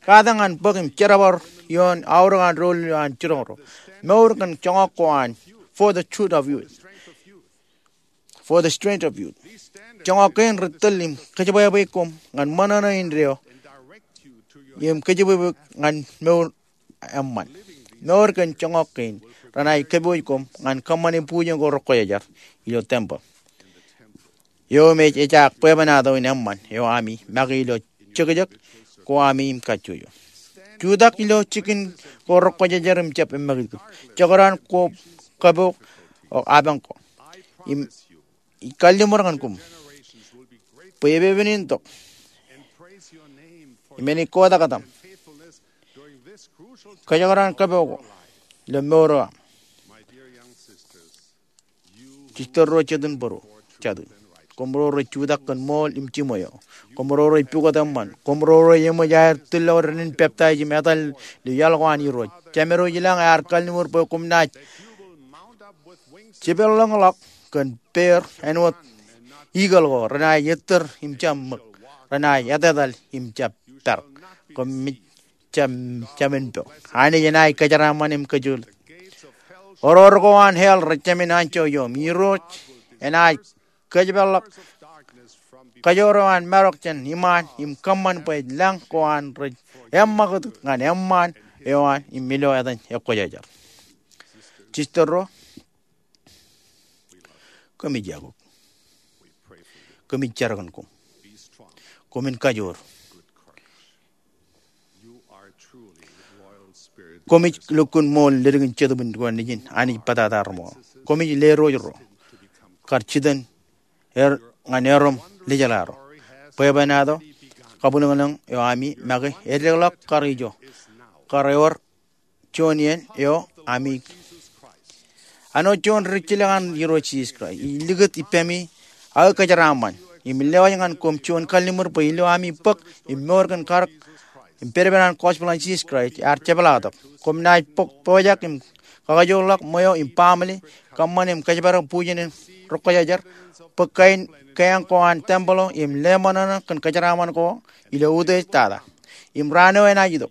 Katak ñan bōk im jerbal ioon aorōk an doulul eo an jiroñ ro. Mour kōn joñak ko an For the Truth of Youth. For the Strength of Youth. Joñak kein rej tōl im kōjebwābwe koṃ ñan ṃōṇōṇō indeeo im kōjebwābwe ñan mour eṃṃan. Mour kōn joñak kein renaaj kōpooj koṃ ñan kōṃṃane bujen ko ri kwōjarjar ilo tempeḷ. Eo im ej ejaak bwebwenato in eṃṃan eo ami make ilo jekjek ko ami im kajjojo. Jutak ilo jikin ko ri kwōjarjar im jab eṃṃakūt. Jekdọọn ko kapook eo apañ ko. Im ij kalliṃur ñan koṃ bwe epepen in tok im enaaj kotak etaṃ kōjekdọọn kapook ko ilo mour eo aṃ. Jistōn ro, jatūn bōro, jatūn. Koṃ ro rej jutak kōn ṃool im jiṃwe eo. Koṃ ro rej pukot eṃṃan. Koṃ ro rej eṃōj aer tūlọk dān in peptaij im etal ilo iaḷ ko an Irooj. Jemem ilañ ear kalliṃur bwe koṃ naaj jipeḷḷọkḷọk kōn peer āinwōt eagle ko renaaj ettōr im jab ṃōk, renaaj etetal im jab parōk. Koṃij jab, jab men po. Anij enaaj kōjeraaṃṃan im kōjatdikdik. Oror ko an hell rej jāmin anjọ ioṃ. Irooj enaaj kōjpeḷḷọk kōjro eo an marok jān iṃaan im kōṃṃan bwe ej lañ ko an rej eṃṃakūt ñan eṃṃaan eo an im ilo etan ekwōjarjar. Jistōn ro, kōmij iakuk. Kōmij jar kōn koṃ. Koṃwin kajoor. Koṃij lukkuun ṃool ledik in Jetōb in Dukan Nejin Anij Bōtata Reṃool. Koṃij lerooj ro kar jitōn er ñan erom lejeḷā ro. Bwebwenato kabwilōñlōñ eo ami make eddekḷọk kar ijo, kar ewōr juon iien eo ami. Āinwōt juon ri jilkinḷọk an Irooj Jisōs Kraist, ij likūt ippemi aō kōjeraaṃṃan im lewōj ñan koṃ juon kalliṃur bwe ilo ami bōk im mour kōn karōk im pedped an gospel an Jisōs Kraist ear jepḷaaktok. Koṃ naaj pojak im kakajoorḷọk ṃweo im baaṃle, kōṃṃan im kōjparok bujen in Rokkōjājar, bōk kain keañ ko an tempel eo im leṃōṇōṇō kōn kōjeraaṃṃan ko ilo utiej tata. Im raan eo enaaj itok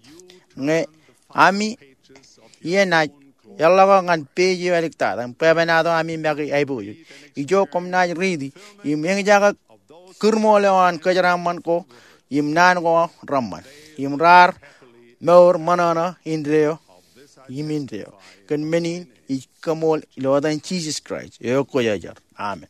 ñe ami ie naaj eḷḷọk ñan page eo āliktata im bwebwenato ami make aiboojoj. Ijo koṃ naaj riiti im eñjake kūrmool eo an kōjeraaṃṃan ko im naan ko reṃṃan im raar mour ṃōṇōṇō indeeo im indeeo. Kōn men in ij kaṃool ilo etan Jisōs Kraist eo Kwōjarjar. Amen.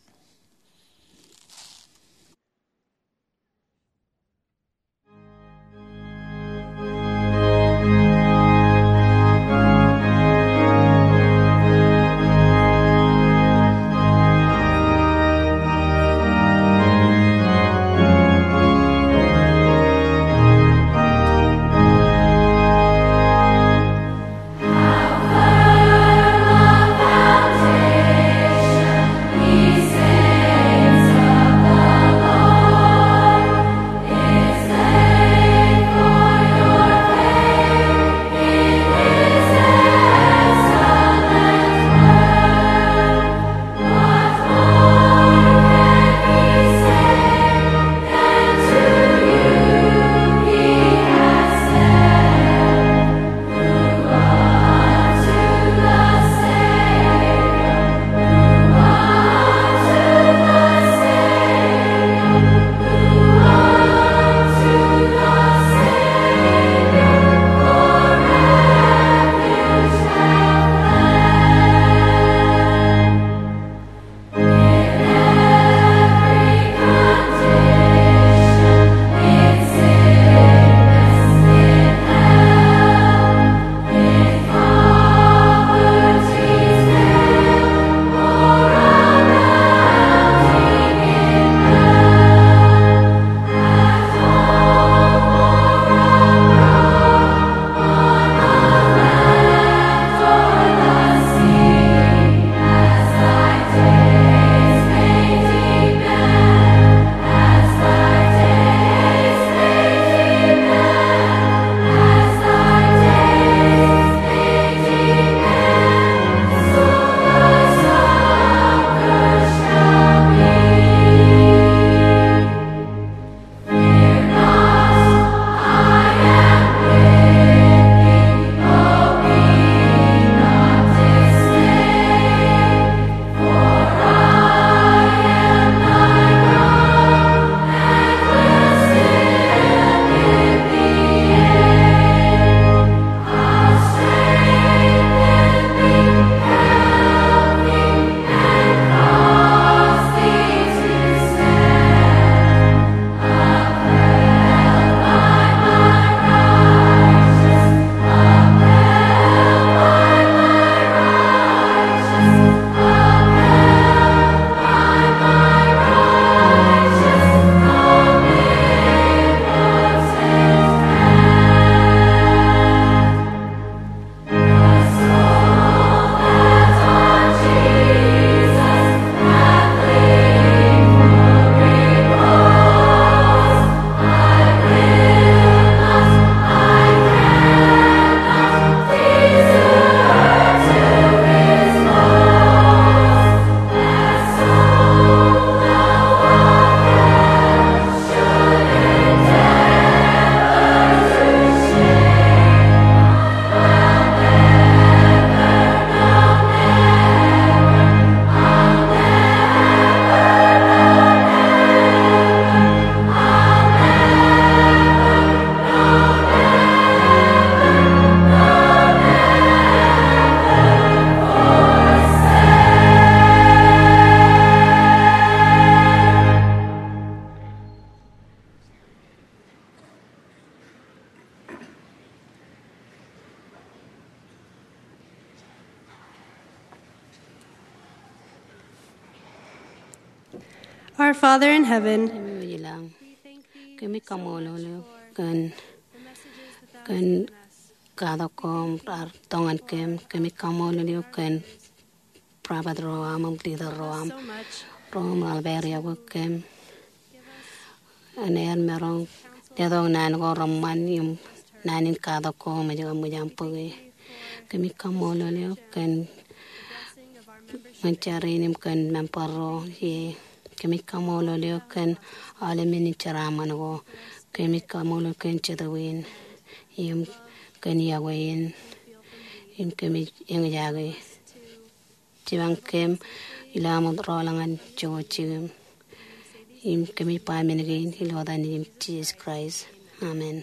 Our Father in heaven, Im ej ilañ, kōmij kaṃṃoolol eok kōn, kōn katak ko raar tōñan kōm. Kōmij kaṃṃoolol eok kōn prophet ro aṃ im leader ro aṃ, ro im raar pād iọkwe kōm. Enaaj maroñ letok naan ko reṃṃan im naan in katak ko im ej kab ṃōj aṃ bōke. Kōmij kaṃṃoolol eok kōn ṃōn jar in im kōn member ro ie. Kōmij kaṃṃoolol eok kōn aolep men in jeraaṃṃan ko. Kōmij kaṃṃoolol kōn jetōb in im kōn iọkwe in im kōmij eñjake. Jipañ kōm ilo aṃ rọọl ñan jokwe jikin. Im kōmij ba men kein ilo etan Nejūṃ Jisōs Kraist. Amen.